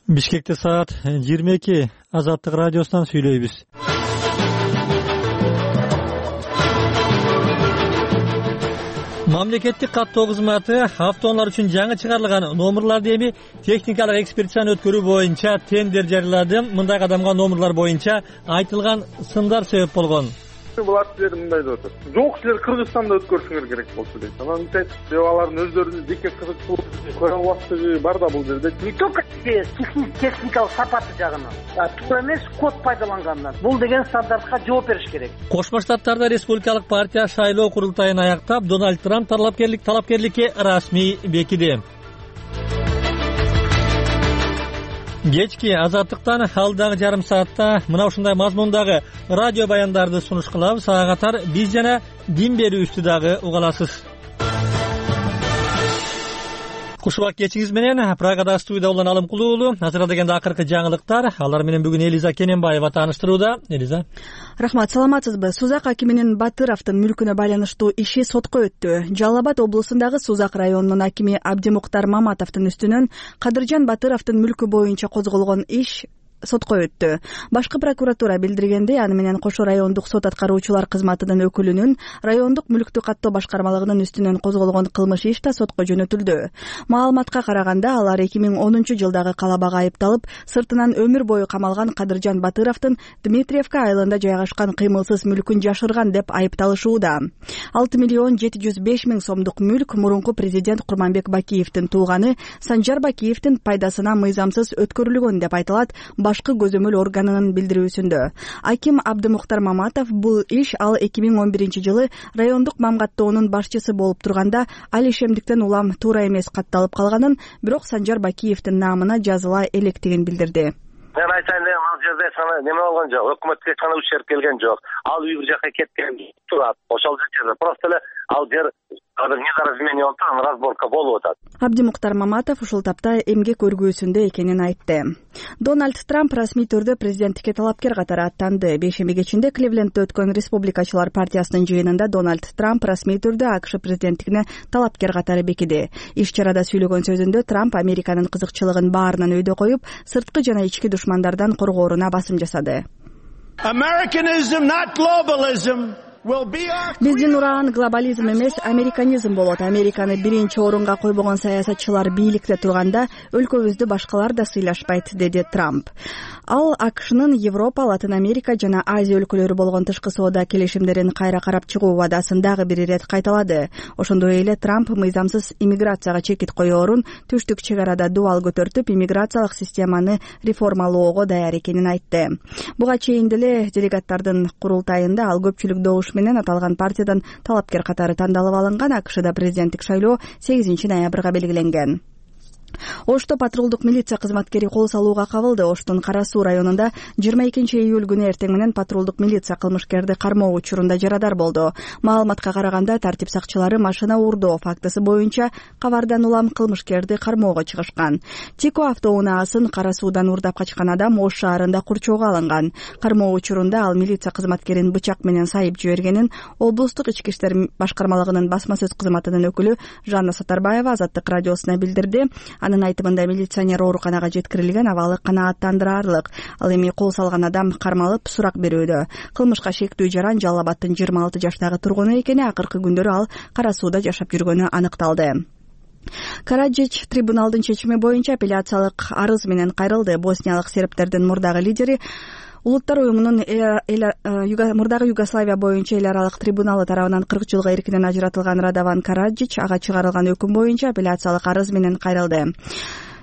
Бишкекте саат 22. Азаттык радиосунан сүйлөйбүз. Мамлекеттик каттоо кызматы автоунаалар үчүн жаңы чыгарылган номерларды эми техникалык экспертизаны өткөрүү боюнча тендер жарыялады. Мындай кадамга номерлар боюнча айтылган сындар себеп болгон. Булар силер мындай деп атат. Жок, силер Кыргызстанда өткөрүшүңөр керек болчу дейт. Анан айтып, алардын өздөрүнүн жеке кызыкчылыгы, көрө албастыгы бар да бул жерде. Не только техникалык сапаты жагынан, туура эмес код пайдалангандан. Бул деген стандартка жооп бериш керек. Кошмо Штаттарда Республикалык партия шайлоо курултайын аяктап, Дональд Трамп талапкерликке расмий бекиди. Кечки Азаттыктан алдагы жарым саатта мына ушундай мазмундагы радио баяндарды сунуш кылабыз. Ага катар биз жана дин берүүбүздү дагы уга аласыз. Кушубак кечиңиз менен Прагада студияда болгон Алымкул уулу. Азыр дегенде акыркы жаңылыктар. Алар менен бүгүн Элиза Кененбаева тааныштырууда. Элиза. Рахмат, саламатсызбы? Сузак акиминин Батыровдун мүлкүнө байланыштуу иши сотко өттү. Жалал Абад облусундагы Сузак районунун акими Абдимуктар Маматовдун үстүнөн Кадыржан Батыровдун мүлкү боюнча козголгон иш сотко өттү. Башкы прокуратура билдиргендей, аны менен Кошо райондук сот аткаруучулар кызматынын өкүлүнүн райондук мүлктү каттоо башкармалыгынын үстүнөн козголгон кылмыш иш да сотко жөнөтүлдү. Маалыматка караганда, алар 2010-жылдагы калабага айыпталып, сыртынан өмүр бою камалган Кадыржан Батыровдун Дмитриевка айылында жайгашкан кыймылсыз мүлкүн жашырган деп айыпталышууда. 6,705,000 сомдук мүлк мурунку президент Курманбек Бакиевдин тууганы Санжар Бакиевдин пайдасына мыйзамсыз өткөрүлгөн деп айтылат башкы көзөмөл органынын билдирүүсүндө. Аким Абдымуктар Маматов бул иш ал 2011-жылы райондук мамгаттоонун башчысы болуп турганда ал ишемдиктен улам туура эмес катталып калганын, бирок Санжар Бакиевдин наамына жазыла электигин билдирди. Мен айтайын дегем, ал жерде неме болгон жок, өкмөткө эч кандай ущерб келген жок. Ал үй бир жака кеткен турат. Ошол жерде просто эле ал жер недоразумение болуп турат, разборка болуп атат. Абдимуктар Маматов ушул тапта эмгек көргүүсүндө экенин айтты. Дональд Трамп расмий түрдө президенттикке талапкер катары аттанды. Бейшемби кечинде Кливлендте өткөн Республикачылар партиясынын жыйынында Дональд Трамп расмий түрдө АКШ президенттигине талапкер катары бекиди. Иш чарада сүйлөгөн сөзүндө Трамп Американын кызыкчылыгын баарынан өйдө коюп, сырткы жана ички душмандардан коргооруна басым жасады. Americanism, not globalism. Биздин ураган глобализм эмес, американизм болот. Американы биринчи орунга койбогон саясатчылар бийликте турганда өлкөбүздү башкалар да сыйлашпайт, деди Трамп. Ал АКШнын Европа, Латын Америка жана Азия өлкөлөрү болгон тышкы соода келишимдерин кайра карап чыгуу вадасын дагы бир ирет кайталады. Ошондой эле Трамп мыйзамсыз иммиграцияга чекит коёорун, түштүк чек арада дуал көтөртүп, иммиграциялык системаны реформалоого даяр экенин айтты. Буга чейин деле делегаттардын курултайында ал көпчүлүк добуш менен аталган партиядан талапкер катары тандалып алынган. АКШда президенттик шайлоо 8 ноябрга белгиленген. Ошто патрулдук милиция кызматкери кол салууга кабылды. Оштун Кара Суу районунда 22 июль күнү эртең менен патрулдук милиция кылмышкерди кармоо учурунда жарадар болду. Маалыматка караганда, тартип сакчылары машина уурдоо фактысы боюнча кабардан улам кылмышкерди кармоого чыгышкан. Тико автоунаасын Кара Суудан уурдап качкан адам Ош шаарында курчоого алынган. Кармоо учурунда ал милиция кызматкерин бычак менен сайып жибергенин облустук ички иштер башкармалыгынын басма сөз кызматынын өкүлү Жанна Сатарбаева Азаттык радиосуна билдирди. Анын айтымында милиционер ооруканага жеткирилген, абалы канааттандырарлык. Ал эми кол салган адам кармалып сурак берүүдө. Кылмышка шектүү жаран Жалал Абадтын 26 жаштагы тургуну экени, акыркы күндөрү ал Кара Сууда жашап жүргөнү аныкталды. Караджич трибуналдын чечими боюнча апелляциялык арыз менен кайрылды. Босниялык сербтердин мурдагы лидери Улуттар уюмунун мурдагы Югославия боюнча эл аралык трибуналы тарабынан 40 жылга эркинен ажыратылган Радован Караджич ага чыгарылган өкүм боюнча апелляциялык арыз менен кайрылды.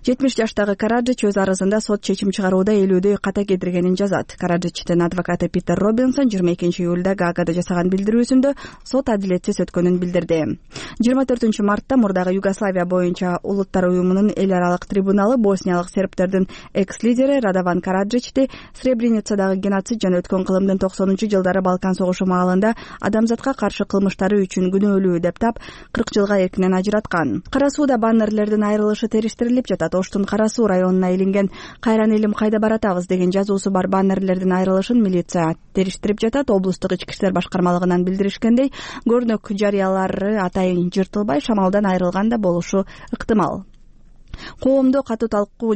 70 жаштагы Караджич өз арызында сот чечим чыгарууда элүүдөй ката кетиргенин жазат. Караджичтин адвокаты Питер Робинсон 22 июлда Гаагада жасаган билдирүүсүндө сот адилетсиз өткөнүн билдирди. 24 мартта мурдагы Югославия боюнча Улуттар уюмунун эл аралык трибуналы босниялык сербтердин экс-лидери Радован Караджичти Сребреницадагы геноцид жана өткөн кылымдын 90-жылдары Балкан согушу маалында адамзатка каршы кылмыштары үчүн күнөөлүү деп тап 40 жылга эркинен ажыраткан. Кара Сууда баннерлердин айрылышы териштирилип жатат. Оштун Кара Суу районуна илинген "Кайран элим кайда баратабыз" деген жазуусу бар баннерлердин айрылышын милиция териштирип жатат. Облустук ички иштер башкармалыгынан билдиришкендей, көрнөк жарыялары атайын жыртылбай шамалдан айрылган да болушу ыктымал. Коомдо катуу талкуу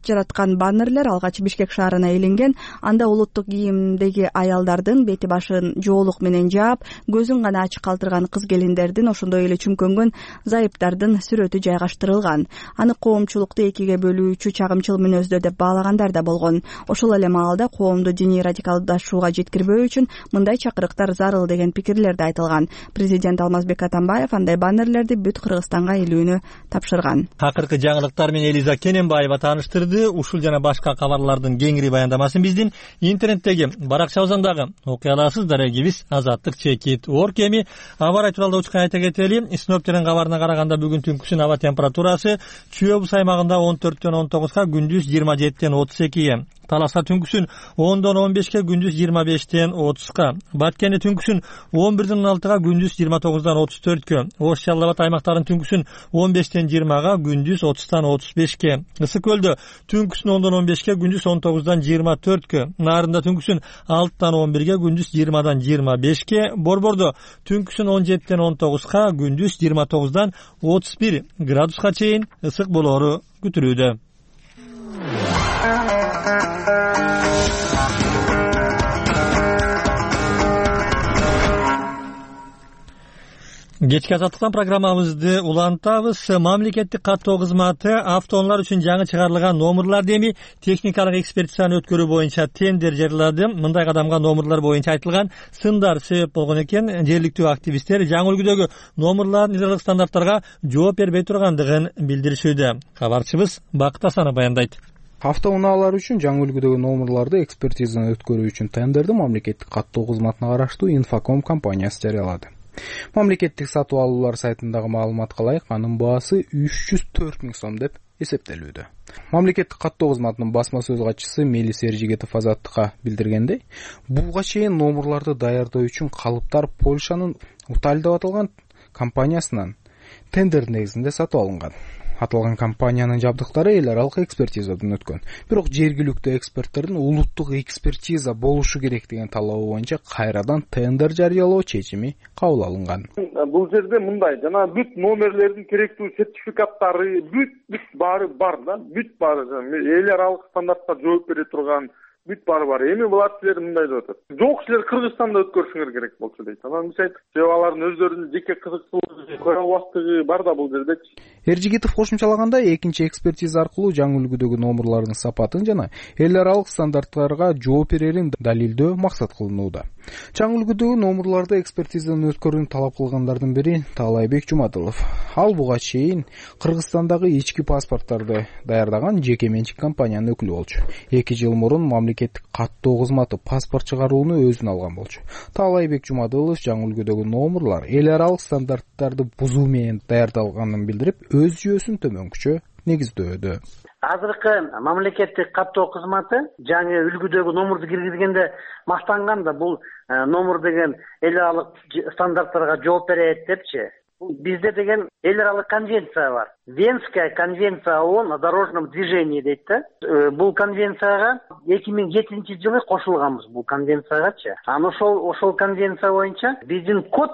жараткан баннерлер алгач Бишкек шаарына илинген. Анда улуттук кийимдеги аялдардын бети башын жоолук менен жаап, көзүн гана ачык калтырган кыз-келиндердин, ошондой эле чүмкөнгөн зайыптардын сүрөтү жайгаштырылган. Аны коомчулукту экиге бөлүүчү чагымчыл мүнөздө деп баалагандар да болгон. Ошол эле маалда коомду диний радикалдашууга жеткирбөө үчүн мындай чакырыктар зарыл деген пикирлер да айтылган. Президент Алмазбек Атамбаев андай баннерлерди бүт Кыргызстанга илүүнү тапшырган. Акыркы жаңылыктар менен Элиза Кененбаева тааныштырды. Ушул жана башка кабарлардын кеңири баяндамасын биздин интернеттеги баракчабыздан окуяларсыздар. Эгибиз Азаттык чекит. Орк эми аба ырайы тууралуу учкан айта кетели. Синоптиктердин кабарына караганда бүгүн түнкүсүн аба температурасы Чүй-Обуз аймагында 14-төн 19га, күндүз 27-тен 32ге. Таласка түнкүсүн 10-дон 15ке, күндүз 25-тен 30га. Баткенде түнкүсүн 11-ден 16га, күндүз 29-дан 34кө. Ош Жалал Абад аймактарын түнкүсүн 15-тен 20га, күндүз 30-тан 35ке. Ысык Көлдө түнкүсүн 10-дон 15ке, күндүз 19-дан 24кө. Нарында түнкүсүн 6-тан 11ге, күндүз 20-дан 25ке. Борбордо түнкүсүн 17-тен 19га, күндүз 29-дан 31 градуска чейин ысык болоору күтүлүүдө. Кечки азаттыктан программабызды улантабыз. Мамлекеттик каттоо кызматы автоунаалар үчүн жаңы чыгарылган номерларды эми техникалык экспертизаны өткөрүү боюнча тендер жарыялады. Мындай кадамга номерлар боюнча айтылган сындар себеп болгон экен. Жергиликтүү активисттер жаңы үлгүдөгү номерлардын эларалык стандарттарга жооп бербей тургандыгын билдиришүүдө. Кабарчыбыз Бакыт Асанов баяндайт. Автоунаалар үчүн жаңы үлгүдөгү номерларды экспертизаны өткөрүү үчүн тендерди мамлекеттик каттоо кызматына караштуу Infocom компаниясы жарыялады. Мамлекеттик сатып алуулар сайтындагы маалыматка ылайык, анын баасы 304 000 сом деп эсептелүүдө. Мамлекеттик каттоо кызматынын басма сөз катчысы Мелис Эржигетов Азаттыкка билдиргендей, буга чейин номерларды даярдоо үчүн калыптар Польшанын Уталь деп аталган компаниясынан тендер негизинде сатып алынган. Аталган компаниянын жабдыктары эл аралык экспертизадан өткөн. Бирок жергиликтүү эксперттердин улуттук экспертиза болушу керек деген талабы боюнча кайрадан тендер жарыялоо чечими кабыл алынган. Бул жерде мындай, жана бүт номерлердин керектүү сертификаттары, бүт баары бар да, бүт баары эл аралык стандартка жооп бере турган бүт баары бар. Эми булар силер мындай деп атат. Жок, силер Кыргызстанда өткөрүшүңөр керек болчу дейт. Анан биз айттык, алардын өздөрүнүн жеке кызыкчылыгы, көрө албастыгы бар да бул жерде. Эржигитов кошумчалагандай, экинчи экспертиза аркылуу жаңы үлгүдөгү номерлардын сапатын жана эл аралык стандарттарга жооп берерин далилдөө максат кылынууда. Жаңы үлгүдөгү номерларды экспертизадан өткөрүүнү талап кылгандардын бири Таалайбек Жумадылов. Ал буга чейин Кыргызстандагы ички паспорттарды даярдаган жеке менчик компаниянын өкүлү болчу. 2 жыл мурун мамлекеттик каттоо кызматы паспорт чыгарууну өзүнө алган болчу. Таалайбек Жумадылов жаңы үлгүдөгү номерлар эл аралык стандарттарды бузуу менен даярдалганын билдирип, өз жүйөсүн төмөнкүчө негиздөөдө. Азыркы мамлекеттик каттоо кызматы жаңы үлгүдөгү номерди киргизгенде мактанган да, бул номер деген эл аралык стандарттарга жооп берет депчи. Бизде деген эл аралык конвенция бар. Венская конвенция ООН о дорожном движении дейт да. Бул конвенцияга 2007-жылы кошулганбыз бул конвенциягачы. Анан ошол конвенция боюнча биздин код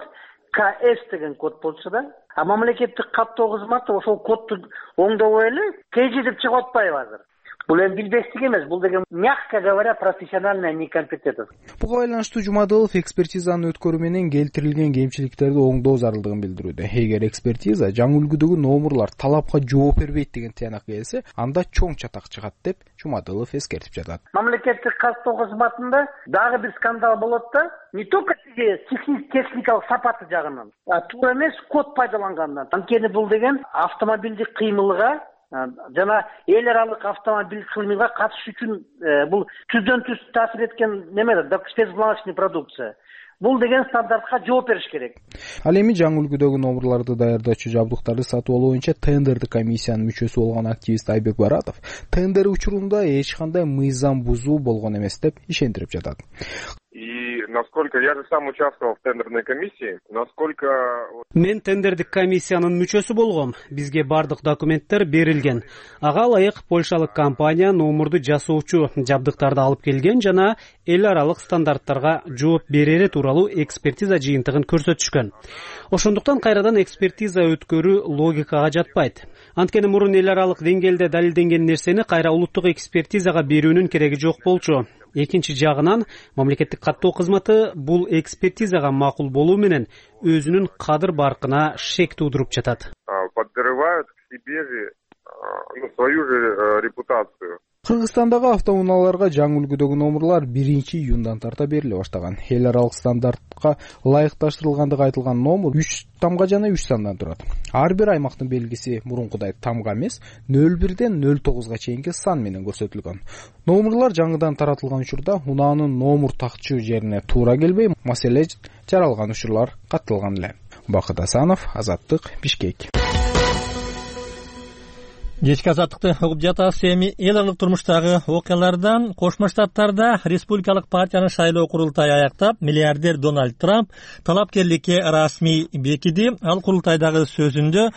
КС деген код болчу да. А мамлекеттик каттоо кызматы ошол кодду оңдобой эле КЖ деп чыгып атпайбы азыр? Бул эми билбестик эмес, бул деген, мягко говоря, профессиональная некомпетентность. Буга байланыштуу Жумадылов экспертизаны өткөрүү менен келтирилген кемчиликтерди оңдоо зарылдыгын билдирүүдө. Эгер экспертиза жаңы үлгүдөгү номерлар талапка жооп бербейт деген тыянак келсе, анда чоң чатак чыгат деп Жумадылов эскертип жатат. Мамлекеттик каттоо кызматында дагы бир скандал болот да, не только техникалык сапаты жагынан, а туура эмес код пайдалангандан. Анткени бул деген автомобилдик кыймылга жана эл аралык автомобиль кыймылга катышуу үчүн бул түздөн түз таасир эткен неме да, спецпланочный продукция. Бул деген стандартка жооп бериш керек. Ал эми жаңы үлгүдөгү номерларды даярдоочу жабдыктарды сатып алуу боюнча тендерди комиссиянын мүчөсү болгон активист Айбек Баратов тендер учурунда эч кандай мыйзам бузуу болгон эмес деп ишендирип жатат. И насколько я же сам участвовал в тендерной комиссии, насколько мен тендердик комиссиянын мүчөсү болгом. Бизге бардык документтер берилген. Ага ылайык Польшалык компания номерду жасоочу жабдыктарды алып келген жана эл аралык стандарттарга жооп берери тууралуу экспертиза жыйынтыгын көрсөтүшкөн. Ошондуктан кайрадан экспертиза өткөрүү логикага жатпайт. Анткени мурун эл аралык деңгээлде далилденген нерсени кайра улуттук экспертизага берүүнүн кереги жок болчу. Экинчи жагынан мамлекеттик каттоо кызматы бул экспертизага макул болуу менен өзүнүн кадыр баркына шек туудуруп жатат. Подрывают к себе же свою же репутацию. Кыргызстандагы автоунааларга жаңы үлгүдөгү номерлар 1-июндан тарта бериле баштаган. Эл аралык стандартка ылайыкташтырылгандыгы айтылган номер 3 тамга жана 3 сандан турат. Ар бир аймактын белгиси мурункудай тамга эмес, 01ден 09га чейинки сан менен көрсөтүлгөн. Номерлар жаңыдан таратылган учурда унаанын номер такчу жерине туура келбей, маселе жаралган учурлар катталган эле. Бакыт Асанов, Азаттык, Бишкек. Кечки азаттыкты угуп жатасыз. Эми эл аралык турмуштагы окуялардан Кошмо Штаттарда республикалык партиянын шайлоо курултайы аяктап, миллиардер Дональд Трамп талапкерликке расмий бекиди. Ал курултайдагы сөзүндө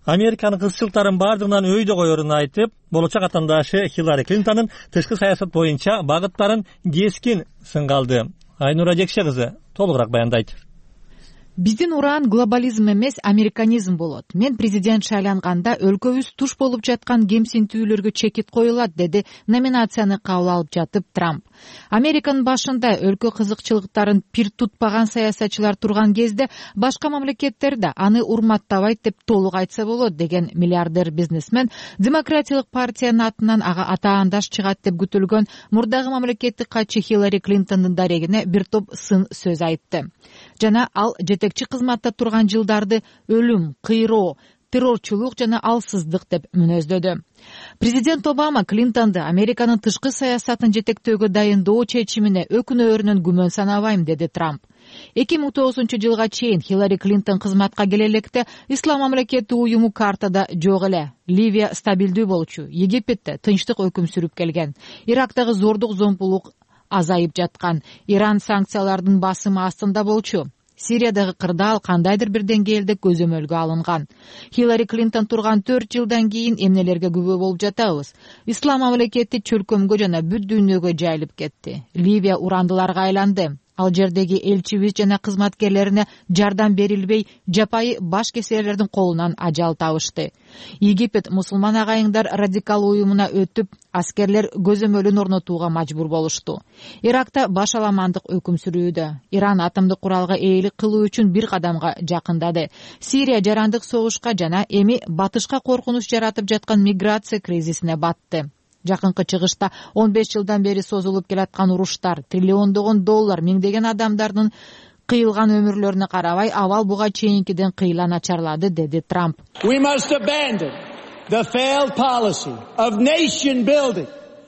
Американын кызчылыктарын бардыгынан өйдө коерун айтып, болочок атандашы Хиллари Клинтондун тышкы саясат боюнча багыттарын кескин сынга алды. Айнура Жекше кызы толугураак баяндайт. Биздин ураан глобализм эмес, американизм болот. Мен президент шайланганда өлкөбүз туш болуп жаткан кемсинтүүлөргө чекит коюлат, деди номинацияны кабыл алып жатып Трамп. Американын башында өлкө кызыкчылыктарын пир тутпаган саясатчылар турган кезде башка мамлекеттерде аны урматтабайт деп толук айтса болот, деген миллиардер бизнесмен Демократиялык партиянын атынан ага атаандаш чыгат деп күтүлгөн мурдагы мамлекеттик катчы Хиллари Клинтондун дарегине бир топ сын сөз айтты. Жана ал жетекчи кызматта турган жылдарды өлүм, кыйроо, террорчулук жана алсыздык деп мүнөздөдү. Президент Обама Клинтонду Американын тышкы саясатын жетектөөгө дайындоо чечимине өкүнөөрүнөн күмөн санабайм, деди Трамп. 2009 жылга чейин Хиллари Клинтон кызматка келе электе Ислам мамлекети уюму картада жок эле. Ливия стабилдүү болчу, Египетте тынчтык өкүм сүрүп келген, Ирактагы зордук зомбулук азайып жаткан, Иран санкциялардын басымы астында болчу. Сириядагы кырдаал кандайдыр бир деңгээлде көзөмөлгө алынган. Хиллари Клинтон турган 4 жылдан кийин эмнелерге күбө болуп жатабыз? Ислам мамлекети чөлкөмгө жана бүт дүйнөгө жайылып кетти. Ливия урандыларга айланды. Ал жердеги элчибиз жана кызматкерлерине жардам берилбей, жапайы баш кесерлердин колунан ажал табышты. Египет мусулман агайыңдар радикал уюмуна өтүп, аскерлер көзөмөлүн орнотууга мажбур болушту. Иракта башаламандык өкүм сүрүүдө. Иран атомдук куралга ээлик кылуу үчүн бир кадамга жакындады. Сирия жарандык согушка жана эми батышка коркунуч жаратып жаткан миграция кризисине батты. Жакынкы чыгышта 15 жылдан бери созулуп келаткан уруштар, триллиондогон доллар, миңдеген адамдардын кыйылган өмүрлөрүнө карабай, абал буга чейинкиден кыйла начарлады, деди Трамп.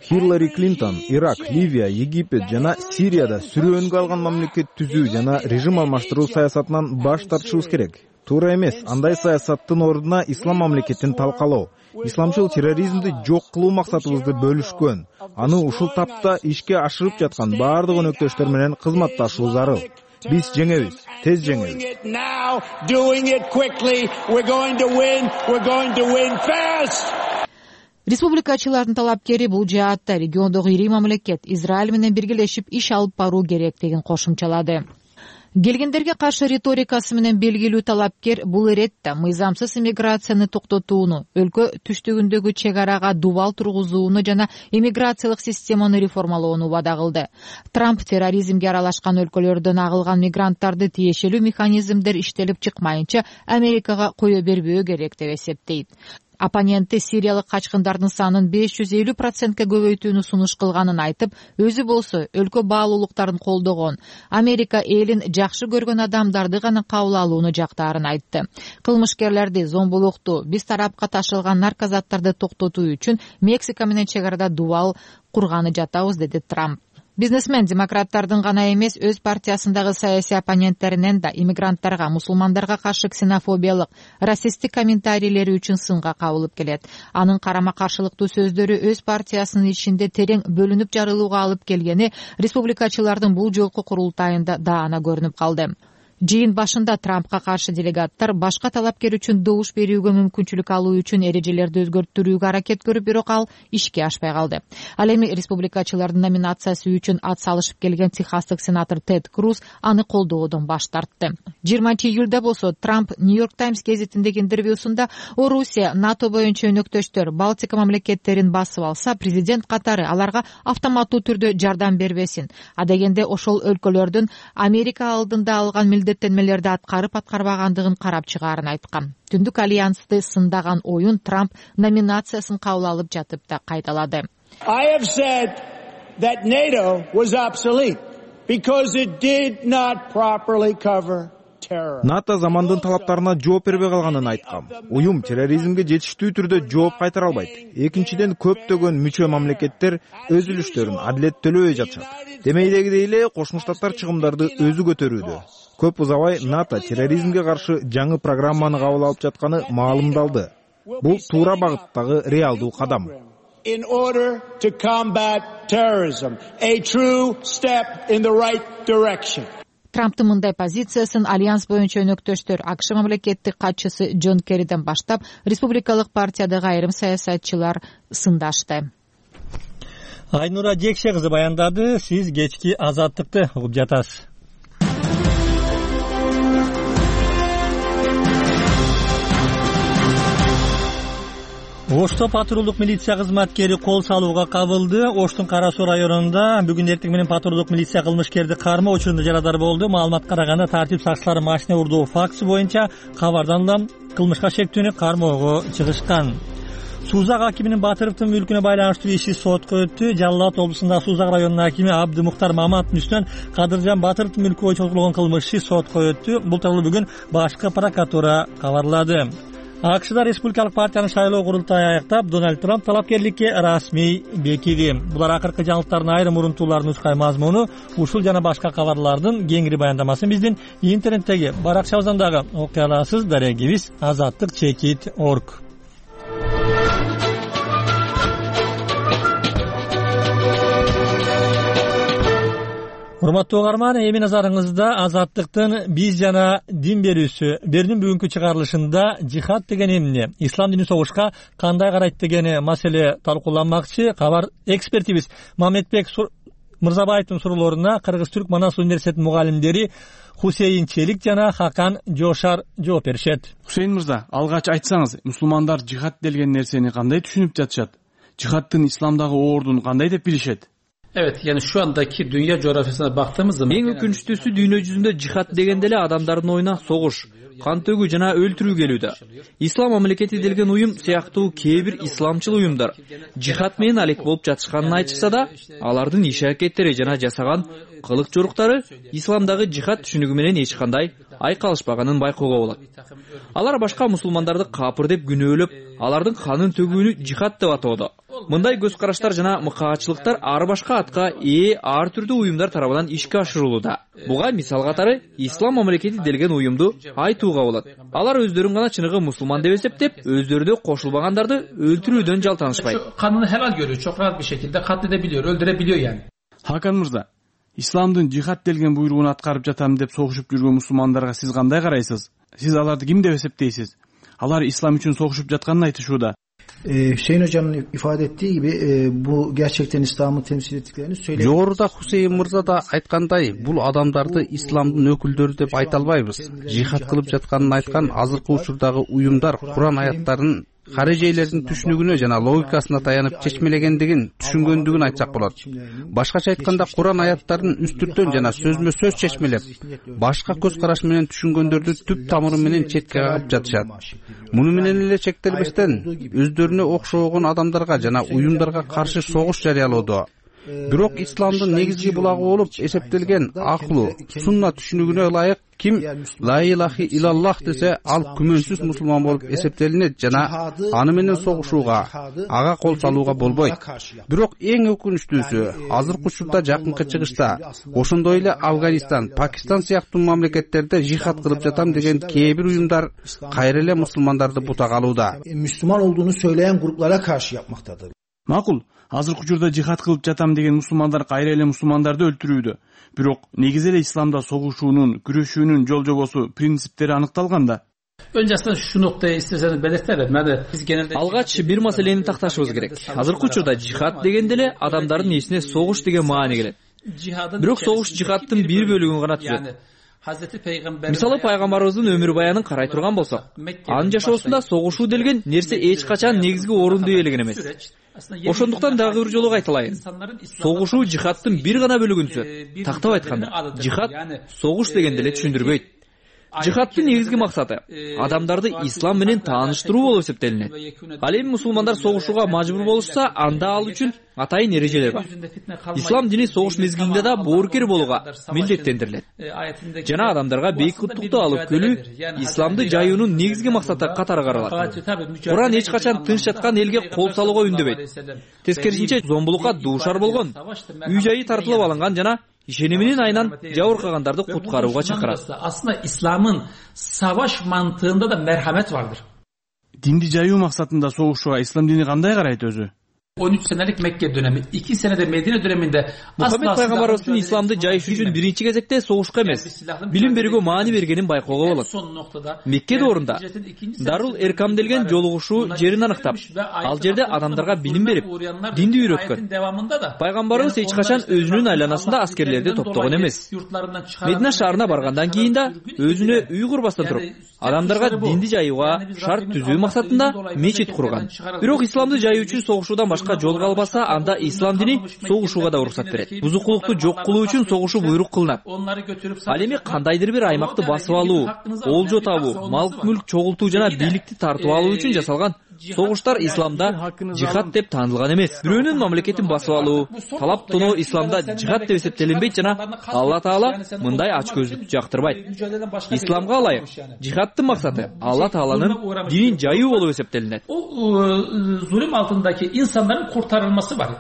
Хиллари Клинтон Ирак, Ливия, Египет жана Сирияда сүрөөнгө алган мамлекет түзүү жана режим алмаштыруу саясатынан баш тартышыбыз керек. Туура эмес, андай саясаттын ордуна ислам мамлекетин талкалоо, исламчыл терроризмди жок кылуу максатыбызды бөлүшкөн. Аны ушул тапта ишке ашырып жаткан баардык өнөктөштөр менен кызматташуу зарыл. Биз жеңебиз, тез жеңебиз. Республикачылардын талапкери бул жаатта региондогу ири мамлекет Израиль менен биргелешип иш алып баруу керек деген кошумчалады. Келгендерге каршы риторикасы менен белгилүү талапкер бул иретте мыйзамсыз иммиграцияны токтотууну, өлкө түштүгүндөгү чек арага дубал тургузууну жана иммиграциялык системаны реформалоону убада кылды. Трамп терроризмге аралашкан өлкөлөрдөн агылган мигранттарды тиешелүү механизмдер иштелип чыкмайынча Америкага кое бербөө керек деп эсептейт. Оппоненти сириялык качкындардын санын 550%ке көбөйтүүнү сунуш кылганын айтып, өзү болсо өлкө баалуулуктарын колдогон, Америка элин жакшы көргөн адамдарды гана кабыл алууну жактаарын айтты. Кылмышкерлерди, зомбулукту, биз тарапка ташылган наркозаттарды токтотуу үчүн Мексика менен чек арада дубал курганы жатабыз, деди Трамп. Бизнесмен демократтардын гана эмес, өз партиясындагы саясий оппоненттеринен да иммигранттарга, мусулмандарга каршы ксенофобиялык, расисттик комментарийлери үчүн сынга кабылып келет. Анын карама-каршылыктуу сөздөрү өз партиясынын ичинде терең бөлүнүп жарылууга алып келгени республикачылардын бул жолку курултайында даана көрүнүп калды. Жыйын башында Трампка каршы делегаттар башка талапкер үчүн добуш берүүгө мүмкүнчүлүк алуу үчүн эрежелерди өзгөртүүгө аракет көрүп, бирок ал ишке ашпай калды. Ал эми республикачылардын номинациясы үчүн ат салышып келген техастык сенатор Тед Круз аны колдоодон баш тартты. 20-июлда болсо Трамп Нью-Йорк Таймс гезитиндеги интервьюсунда Орусия, НАТО боюнча өнөктөштөр Балтика мамлекеттерин басып алса, президент катары аларга автоматтуу түрдө жардам бербесин. Адегенде ошол өлкөлөрдүн Америка алдында алган милдеттенмелерди аткарбагандыгын карап чыгаарын айткан. Түндүк альянсты сындаган оюн Трамп номинациясын кабыл алып жатып да кайталады. I have said that NATO was obsolete because it did not properly cover terror. НАТО замандын талаптарына жооп бербей калганын айткам. Уюм терроризмге жетиштүү түрдө жооп кайтара албайт. Экинчиден, көптөгөн мүчө мамлекеттер өз үлүштөрүн адилеттөлөбөй жатышат. Демейдегидей эле Кошмо Штаттар чыгымдарды өзү көтөрүүдө. Көп узабай НАТО терроризмге каршы жаңы программаны кабыл алып жатканы маалымдалды. Бул туура багыттагы реалдуу кадам. In order to combat terrorism, a true step in the right direction. Трамптын мындай позициясын альянс боюнча өнөктөштөр АКШ мамлекеттик катчысы Джон Керриден баштап республикалык партиядагы айрым саясатчылар сындашты. Айнура Жекше кызы баяндады. Сиз кечки Азаттыкты угуп жатасыз. Ошто патрулдук милиция кызматкери кол салууга кабылды. Оштун Кара Суу районунда бүгүн эртең менен патрулдук милиция кылмышкерди кармоо учурунда жарадар болду. Маалыматка караганда тартип сакчылары машина урдоо фактысы боюнча кабардан да кылмышка шектүүнү кармоого чыгышкан. Сузак акиминин Батыровдун мүлкүнө байланыштуу иши сотко өттү. Жалал Абад облусундагы Сузак районунун акими Абды Мухтар Маматовдун үстүнөн Кадыржан Батыровдун мүлкү боюнча козголгон кылмыш иши сотко өттү. Бул тууралуу бүгүн башкы прокуратура кабарлады. АКШда республикалык партиянын шайлоо курултайы аяктап, Дональд Трамп талапкерликке расмий бекиди. Булар акыркы жаңылыктардын айрым урунтууларын нускай мазмуну, ушул жана башка кабарлардын кеңири баяндамасын биздин интернеттеги Баракча Озондагы окуяларсыз дарегибиз azattik.org. Урматтуу угарман, эми назарыңызда Азаттыктын биз жана дин берүүсү берүүнүн бүгүнкү чыгарылышында жихад деген эмне, ислам дини согушка кандай карайт деген маселе талкууланмакчы. Кабар экспертибиз Мамедбек Мырзабаевдин суроолоруна Кыргыз-Түрк Манас университетинин мугалимдери Хусейин Челик жана Хакан Жошар жооп беришет. Хусейин мырза, алгач айтсаңыз, мусулмандар жихад деген нерсени кандай түшүнүп жатышат? Жихадтын исламдагы ордун кандай деп билишет? Evet, yani şu andaki dünya coğrafyasına baktığımız zaman... Eң өкүнүчтүүсү дүйнө жүзүндө жихад дегенде эле адамдардын оюна согуш, кан төгүү жана өлтүрүү келүүдө. Ислам мамлекети делген уюм сыяктуу кээ бир исламчыл уюмдар жихад менен алек болуп жатышканын айтышса да, алардын иш-аракеттери жана жасаган кылык жоруктары исламдагы жихад түшүнүгү менен эч кандай айкалышпаганын байкоого болот. Алар башка мусулмандарды капыр деп күнөөлөп, алардын канын төгүүнү жихад деп атоодо. Мындай көз караштар жана мыкаачылыктар ар башка атка ээ ар түрдүү уюмдар тарабынан ишке ашырылууда. Буга мисал катары ислам мамлекети делген уюмду айтууга болот. Алар өздөрүн гана чыныгы мусулман деп эсептеп, өздөрүнө кошулбагандарды өлтүрүүдөн жалтанышпайт. Kanunu helal görüyor, çok rahat bir şekilde katledebiliyor, öldürebiliyor yani. Hakan Mırza, исламдын жихад делген буйругун аткарып жатам деп согушуп жүргөн мусулмандарга сиз кандай карайсыз? Сиз аларды ким деп эсептейсиз? Алар ислам үчүн согушуп жатканын айтышууда. Hüseyin Hocam'ın ifade ettiği gibi bu gerçekten İslam'ı temsil ettiklerini söyledi. Жогоруда Хусейин мырза да айткандай, бул адамдарды исламдын өкүлдөрү деп айта албайбыз. Жихад кылып жатканын айткан азыркы учурдагы уюмдар Куран аяттарын карежейлердин түшүнүгүнө жана логикасына таянып чечмелегендигин түшүнгөндүгүн айтсак болот. Башкача айтканда Куран аяттарын үстүртөн жана сөзмө сөз чечмелеп, башка көз караш менен түшүнгөндөрдү түп тамыры менен четке кагып жатышат. Муну менен эле чектелбестен өздөрүнө окшогон адамдарга жана уюмдарга каршы согуш жарыялоодо. Бирок исламдын негизги булагы болуп эсептелген акылуу, сунна түшүнүгүнө ылайык ким ла илахи илаллах десе, ал күмөнсүз мусулман болуп эсептелинет жана аны менен согушууга, ага кол салууга болбойт. Бирок эң өкүнүчтүүсү, азыркы учурда жакынкы чыгышта, ошондой эле Афганистан, Пакистан сыяктуу мамлекеттерде жихад кылып жатам деген кээ бир уюмдар кайра эле мусулмандарды бутак алууда. Müslüman olduğunu söyleyen gruplara karşı yapmaktadır. Макул, азыркы учурда жихад кылып жатам деген мусулмандар кайра эле мусулмандарды өлтүрүүдө. Бирок негизи эле исламда согушуунун, күрөшүүнүн жол жобосу, принциптери аныкталган да. Öncesinde şu noktayı isterseniz belirtelim. Biz genelde алгач бир маселени такташыбыз керек. Азыркы учурда жихад дегенде эле адамдардын эсине согуш деген маани келет. Бирок согуш жихадтын бир бөлүгүн гана түзөт. Мисалы пайгамбарыбыздын өмүр баянын карай турган болсок, анын жашоосунда согушуу делген нерсе эч качан негизги орунду ээлеген эмес. Ошондуктан дагы бир жолу кайталайын. Согушуу жихадтын бир гана бөлүгүн түзөт. Тактап айтканда, жихад согуш дегенде эле түшүндүрбөйт. Жихадтын негизги максаты адамдарды ислам менен тааныштыруу болуп эсептелинет. Ал эми мусулмандар согушууга мажбур болушса, анда ал үчүн атайын эрежелер бар. Ислам дини согуш мезгилинде да боорукер болууга милдеттендирилет. Жана адамдарга бейкуттукту алып келүү исламды жаюунун негизги максаты катары каралат. Куран эч качан тынч жаткан элге кол салууга үндөбөйт. Тескерисинче зомбулукка дуушар болгон, үй жайы тартылып алынган жана ишениминин айынан жабыркагандарды куткарууга чакырат. Aslında İslam'ın savaş mantığında da merhamet vardır. Динди жаюу максатында согушууга ислам дини кандай карайт өзү? 13 senelik Mekke dönemi, 2 senede Medine döneminde Muhammed Peygamberimizdin İslam'da jayış üçün birinci кезекте согушка эмес, билим берүүгө маани бергенин байкоого болот. Мекке доорунда Дарул Эркам делген жолугушуу жерин аныктап, ал жерде адамдарга билим берип, динди үйрөткөн. Пайгамбарыбыз эч качан өзүнүн айланасында аскерлерди топтогон эмес. Медина шаарына баргандан кийин да өзүнө үй курбастан туруп, адамдарга динди жаюуга шарт түзүү максатында мечит курган. Бирок исламды жаюу үчүн согушуудан башка жол калбаса, анда ислам дини согушууга да уруксат берет. Бузукулукту жок кылуу үчүн согушуу буйрук кылынат. Ал эми кандайдыр бир аймакты басып алуу, олжо табуу, мал-мүлк чогултуу жана бийликти тартып алуу үчүн жасалган согуштар исламда жихад деп таанылган эмес. Бирөөнүн мамлекетин басып алуу, талап тоноо исламда жихад деп эсептелинбейт жана Алла Таала мындай ачкөздүктү жактырбайт. Исламга ылайык жихадтын максаты Алла Тааланын динин жаюу болуп эсептелинет. Zulüm altındaki insanların kurtarılması var.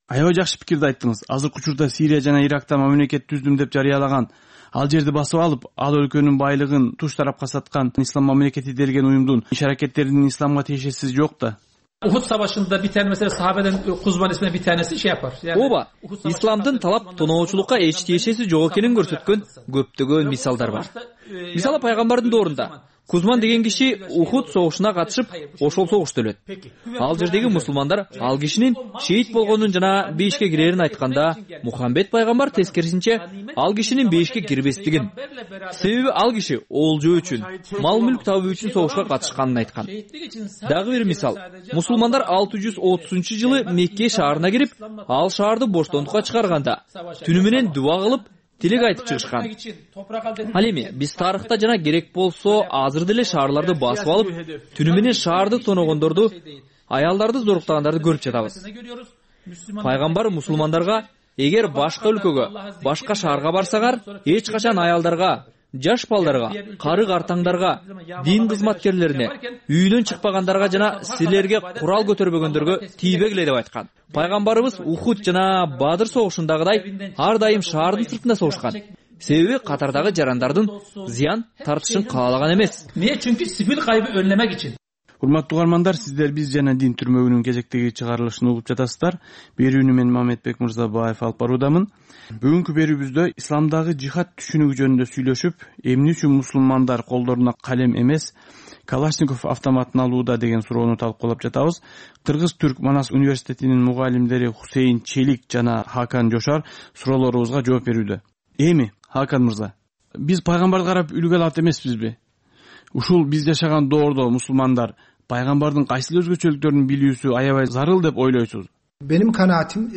Аябай жакшы пикирди айттыңыз. Азыркы учурда Сирия жана Иракта мамлекет түздүм деп жарыялаган, ал жерди басып алып, ал өлкөнүн байлыгын туш тарапка саткан ислам мамлекети делген уюмдун иш-аракеттеринин исламга тиешеси жок да. Uhud Savaşı'nda bir tane mesela sahabeden Kuzman isminde bir tanesi şey yapar. Ооба, исламдын талап тоноочулукка эч тиешеси жок экенин көрсөткөн көптөгөн мисалдар бар. Мисалы пайгамбардын доорунда Кузман деген киши Ухуд согушуна катышып, ошол согушта өлөт. Ал жердеги мусулмандар ал кишинин шейит болгонун жана бейишке кирерин айтканда, Мухаммед пайгамбар тескерисинче ал кишинин бейишке кирбестигин, себеби ал киши олжо үчүн, мал-мүлк табуу үчүн согушка катышканын айткан. Дагы бир мисал, мусулмандар 630-жылы Мекке шаарына кирип, ал шаарды боштондукка чыгарганда, түнү менен дуба кылып, тилек айтып чыгышкан. Ал эми биз тарыхта жана керек болсо азыр деле шаарларды басып алып, түнү менен шаарды тоногондорду, аялдарды зоруктагандарды көрүп жатабыз. Пайгамбар мусулмандарга эгер башка өлкөгө, башка шаарга барсаңар, эч качан аялдарга, жаш балдарга, кары картаңдарга, дин кызматкерлерине, үйдөн чыкпагандарга жана силерге курал көтөрбөгөндөргө тийбегиле деп айткан. Пайгамбарыбыз Ухуд жана Бадыр согушундагыдай ар дайым шаардын сыртында согушкан. Себеби катардагы жарандардын зыян тартышын каалаган эмес. Niye? Çünkü sivil kaybı önlemek için. Урматтуу угармандар, сиздер биз жана дин түрмөгүнүн кезектеги чыгарылышын угуп жатасыздар. Берүүнү мен Мамедбек Мырзабаев алып баруудамын. Бүгүнкү берүүбүздө исламдагы жихад түшүнүгү жөнүндө сүйлөшүп, эмне үчүн мусулмандар колдоруна калем эмес, Калашников автоматын алууда деген суроону талкуулап жатабыз. Кыргыз-Түрк Манас университетинин мугалимдери Хусейин Челик жана Хакан Жошар суроолорубузга жооп берүүдө. Эми, Хакан мырза, биз пайгамбарды карап үлгү алат эмеспизби? Ушул биз жашаган доордо мусулмандар пайгамбардын кайсыл өзгөчөлүктөрүн билүүсү аябай зарыл деп ойлойсуз? Benim kanaatim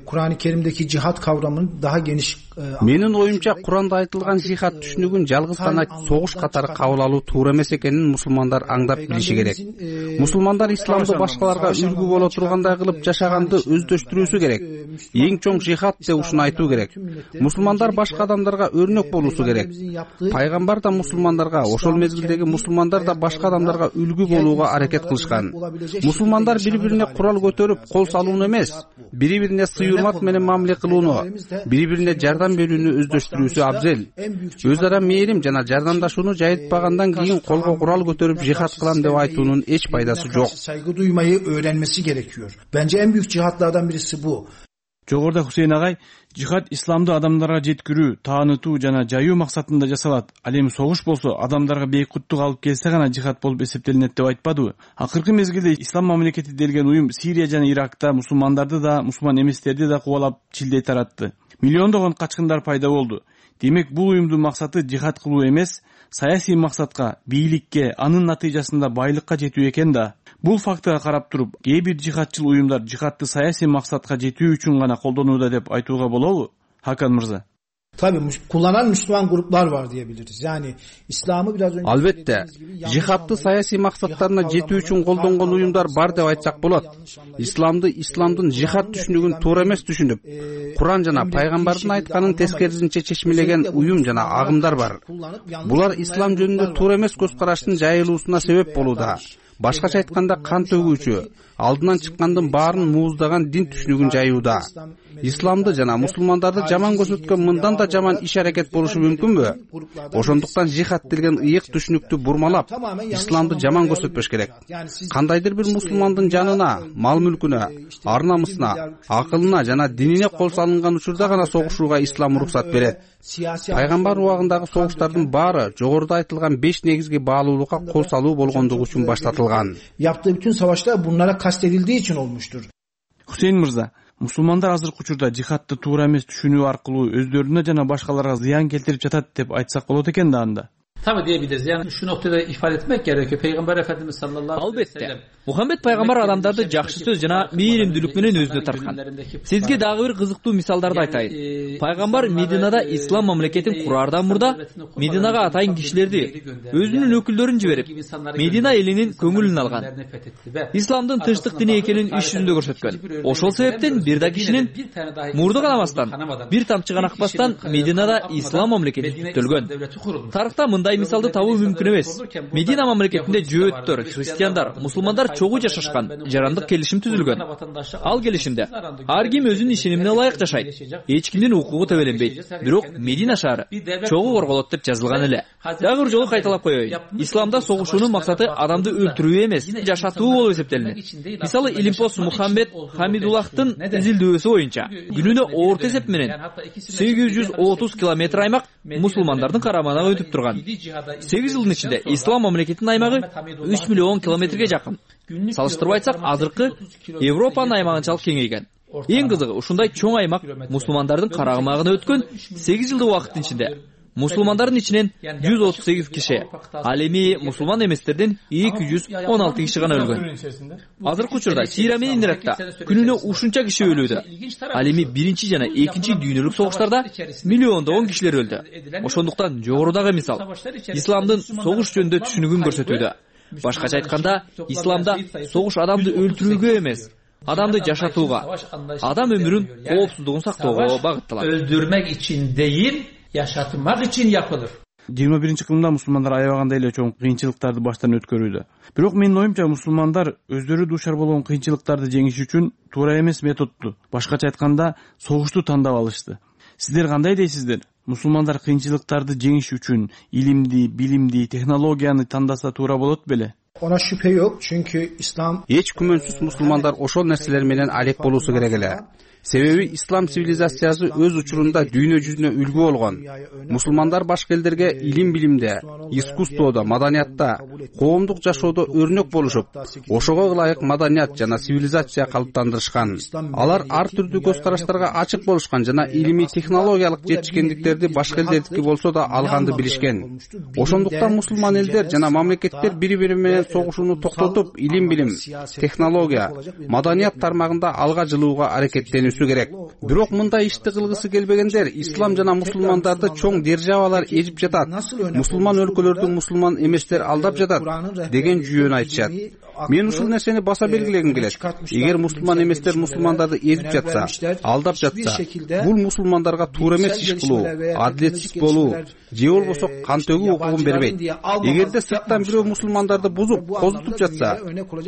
Kur'an-ı Kerim'deki cihat kavramının daha geniş Менин оюмча Куранда айтылган жихад түшүнүгүн жалгыз гана согуш катары кабыл алуу туура эмес экенин мусулмандар аңдап билиши керек. Мусулмандар исламды башкаларга үлгү боло тургандай кылып жашаганды өздөштүрүүсү керек. Эң чоң жихад деп ушуну айтуу керек. Мусулмандар башка адамдарга өрнөк болуусу керек. Пайгамбар да мусулмандарга, ошол мезгилдеги мусулмандар да башка адамдарга үлгү болууга аракет кылышкан. Мусулмандар бири-бирине курал көтөрүп кол салууну эмес, бири-бирине сый урмат менен мамиле кылууну, бири-бирине жардам жардам берүүнү өздөштүрүүсү абзел. Өз ара мээрим жана жардамдашууну жайылтпагандан кийин колго курал көтөрүп жихад кылам деп айтуунун эч пайдасы жок. Saygı duymayı öğrenmesi gerekiyor. Bence en büyük cihatlardan birisi bu. Жогоруда Хусейн агай жихад исламды адамдарга жеткирүү, таанытуу жана жайуу максатында жасалат. Ал эми согуш болсо адамдарга бейкуттук алып келсе гана жихад болуп эсептелинет деп айтпадыбы? Акыркы мезгилде ислам мамлекети делген уюм Сирия жана Иракта мусулмандарды да, мусулман эместерди да кубалап чилдей таратты. Миллиондогон качкындар пайда болду. Демек бул уюмдун максаты жихад кылуу эмес, саясий максатка, бийликке, анын натыйжасында байлыкка жетүү экен да. Бул фактыга карап туруп, кээ бир жихадчыл уюмдар жихадты саясий максатка жетүү үчүн гана колдонууда деп айтууга болобу? Хакан мырза. Tabii kullanan Müslüman gruplar var diyebiliriz. Yani İslam'ı biraz önce Albatta, jihadты саясий максаттарына жетүү үчүн колдонгон уюмдар бар деп айтсак болот. Исламдын жихад түшүнүгүн туура эмес түшүнүп, Куран жана пайгамбардын айтканын тескерисинче чечмелеген уюм жана агымдар бар. Булар ислам жөнүндө туура эмес көз караштын жайылуусуна себеп болууда. Башкача айтканда кан төгүүчү, алдынан чыккандын баарын мууздаган дин түшүнүгүн жайууда. Исламды жана мусулмандарды жаман көрсөткөн мындан да жаман иш-аракет болушу мүмкүнбү? Ошондуктан жихад деген ыйык түшүнүктү бурмалап, исламды жаман көрсөтпөш керек. Кандайдыр бир мусулмандын жанына, мал-мүлкүнө, ар-намысына, акылына жана динине кол салынган учурда гана согушууга ислам уруксат берет. Пайгамбар убагындагы согуштардын баары жогоруда айтылган 5 негизги баалуулукка кол салуу болгондугу үчүн баштатылган. Yaptığı bütün savaşlar bunlara kastedildiği için olmuştur. Хусейн мырза, мусулмандар азыркы учурда жихадты туура эмес түшүнүү аркылуу өздөрүнө жана башкаларга зыян келтирип жатат деп айтсак болот экен да анда. Tabii diyebiliriz. Yani şu noktada ifade etmek gerekiyor. Peygamber Efendimiz sallallahu aleyhi ve sellem. Muhammed пайгамбар адамдарды жакшы сөз жана мээримдүүлүк менен өзүнө тарткан. Сизге дагы бир кызыктуу мисалдарды айтайын. Пайгамбар Мединада ислам мамлекетин кураардан мурда Мединага атайын кишилерди, өзүнүн өкүлдөрүн жиберип, Медина элинин көңүлүн алган. Исламдын тынчтык дини экенин иш жүзүндө көрсөткөн. Ошол себептен бир да кишинин мурду канабастан, бир тамчы гана акпастан Мединада ислам мамлекети түзүлгөн. Тарыхта мындай мисалды табуу мүмкүн эмес. Медина мамлекетинде жөөттөр, христиандар, мусулмандар чогуу жашашкан, жарандык келишим түзүлгөн. Ал келишимде ар ким өзүнүн ишенимине ылайык жашайт. Эч кимдин укугу төбөлөнбөйт. Бирок Медина шаары чогуу корголот деп жазылган эле. Дагы бир жолу кайталап коеюн. Исламда согушуунун максаты адамды өлтүрүү эмес, жашатуу болуп эсептелинет. Мисалы Илимпос Мухаммед Хамидуллахтын изилдөөсү боюнча күнүнө орто эсеп менен 830 километр аймак мусулмандардын карамагына өтүп турган. 8 жылдын ичинде ислам мамлекетинин аймагы 3 миллион километрге жакын. Салыштырып айтсак, азыркы Европанын аймагынчалык кеңейген. Эң кызыгы, ушундай чоң аймак мусулмандардын карамагына өткөн 8 жылдык убакыттын ичинде мусулмандардын ичинен 138 киши, ал эми мусулман эместерден 216 киши гана өлгөн. Азыркы учурда Сирия менен Иракта күнүнө ушунча киши өлүүдө. Ал эми биринчи жана экинчи дүйнөлүк согуштарда миллиондогон кишилер өлдү. Ошондуктан жогорудагы мисал исламдын согуш жөнүндө түшүнүгүн көрсөтүүдө. Башкача айтканда, исламда согуш адамды өлтүрүүгө эмес, адамды жашатууга, адам өмүрүн коопсуздугун сактоого багытталат. Öldürmek için değil, yaşatmak için yapılır. 21-кылымда мусулмандар аябагандай эле чоң кыйынчылыктарды баштан өткөрүүдө. Бирок менин оюмча мусулмандар өздөрү дуушар болгон кыйынчылыктарды жеңиш үчүн туура эмес методду, башкача айтканда, согушту тандап алышты. Сиздер кандай дейсиздер? Мусулмандар кыйынчылыктарды жеңиш үчүн илимди, билимди, технологияны тандаса туура болот беле? Ona şüphe yok çünkü İslam Эч күмөнсүз мусулмандар ошол нерселер менен алек болуусу керек эле. Себеби ислам цивилизациясы өз учурунда дүйнө жүзүнө үлгү болгон. Мусулмандар башка элдерге илим билимде, искусстводо, маданиятта, коомдук жашоодо өрнөк болушуп, ошого ылайык маданият жана цивилизация калыптандырышкан. Алар ар түрдүү көз караштарга ачык болушкан жана илимий технологиялык жетишкендиктерди башка элдердики болсо да алганды билишкен. Ошондуктан мусулман элдер жана мамлекеттер бири-бири менен согушууну токтотуп, илим билим, технология, маданият тармагында алга жылууга аракеттенүү керек. Бирок мындай ишти кылгысы келбегендер ислам жана мусулмандарды чоң державалар ээжип жатат. Мусулман өлкөлөрдү мусулман эместер алдап жатат деген жүйөнү айтышат. мен ушул нерсени баса белгилегим келет. Эгер мусулман эместер мусулмандарды эзип жатса, алдап жатса, бул мусулмандарга туура эмес иш кылуу, адилетсиз болуу же болбосо кан төгүү укугун бербейт. Эгерде сырттан бирөө мусулмандарды бузуп, козутуп жатса,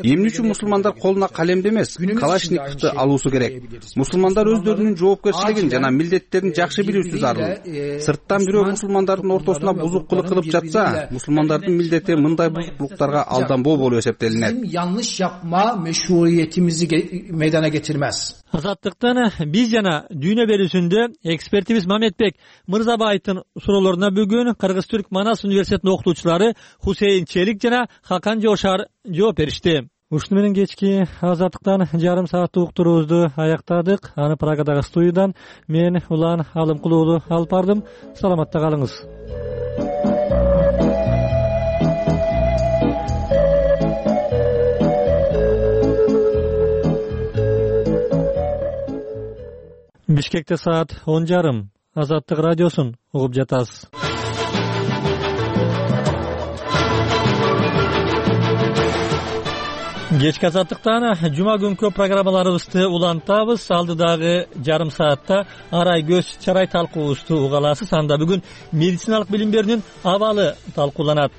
эмне үчүн мусулмандар колуна калемди эмес, калашниковду алуусу керек? Мусулмандар өздөрүнүн жоопкерчилигин жана милдеттерин жакшы билүүсү зарыл. Сырттан бирөө мусулмандардын ортосуна бузукчулук кылып жатса, мусулмандардын милдети мындай бузукчулуктарга алданбоо болуп эсептелинет. Yanlış yapma meşruiyetimizi meydana getirmez. Азаттыктан биз жана дүйнө берүүсүндө экспертибиз Мамедбек Мырзабаевдин суроолоруна бүгүн Кыргыз-Түрк Манас университетинин окутуучулары Хусейин Челик жана Хакан Жошар жооп беришти. Ушуну менен кечки Азаттыктан жарым сааттык уктуруубузду аяктадык. Аны Прагадагы студиядан мен Улан Алымкулуулу алып бардым. Саламатта калыңыз. Бишкекте саат 10:30. Азаттык радиосун угуп жатасыз. Кечки Азаттыктан жума күнкү программаларыбызды улантабыз. Алдыдагы жарым саатта арай көз чарай талкуубузду уга аласыз. Анда бүгүн медициналык билим берүүнүн абалы талкууланат.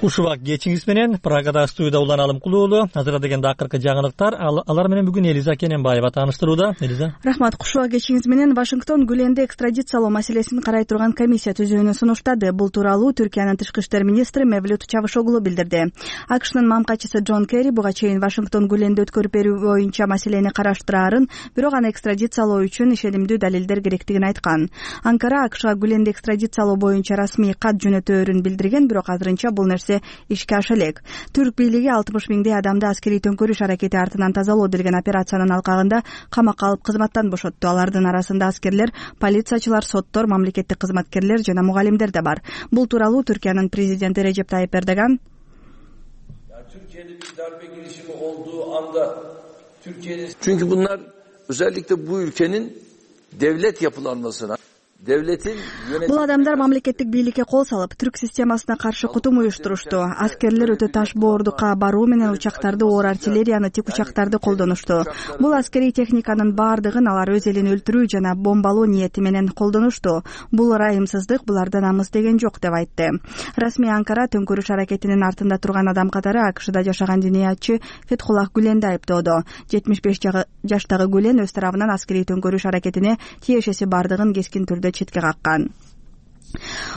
Куш убак кечиңиз менен Прагада студияда Улан Алымкулуулу. Азыр дегенде акыркы жаңылыктар. Алар менен бүгүн Элиза Кененбаева тааныштырууда. Элиза. Рахмат. Куш убак кечиңиз менен Вашингтон Гүленди экстрадициялоо маселесин карай турган комиссия түзүүнү сунуштады. Бул тууралуу Түркиянын тышкы иштер министри Мевлют Чавушоглу билдирди. АКШнын мамкачысы Джон Керри буга чейин Вашингтон Гүленди өткөрүп берүү боюнча маселени караштыраарын, бирок аны экстрадициялоо үчүн ишенимдүү далилдер керектигин айткан. Анкара АКШга Гүленди экстрадициялоо боюнча расмий кат жөнөтөөрүн билдирген, бирок азырынча бул нерсе ишке аша элек. Түрк бийлиги 60 миңдей адамды аскерий төңкөрүш аракети артынан тазалоо делген операциянын алкагында камакка алып кызматтан бошотту. Алардын арасында аскерлер, полициячылар, соттор, мамлекеттик кызматкерлер жана мугалимдер да бар. Бул тууралуу Түркиянын президенти Режеп Тайип Эрдоган Türkiye'de bir darbe girişimi olduğu anda Türkiye'nin çünkü bunlar özellikle bu ülkenin devlet yapılanmasına Бул адамдар мамлекеттик бийликке кол салып, түрк системасына каршы кутум уюштурушту. Аскерлер өтө таш боордукка баруу менен учактарды, оор артиллерияны, тик учактарды колдонушту. Бул аскерий техниканын баардыгын алар өз элин өлтүрүү жана бомбалоо ниети менен колдонушту. Бул ырайымсыздык, буларда намыс деген жок деп айтты. Расмий Анкара төңкөрүш аракетинин артында турган адам катары АКШда жашаган диниятчы Фетхуллах Гүленди айыптоодо. 75 жаштагы Гүлен өз тарабынан аскерий төңкөрүш аракетине тиешеси бардыгын кескин түрдө четке каккан.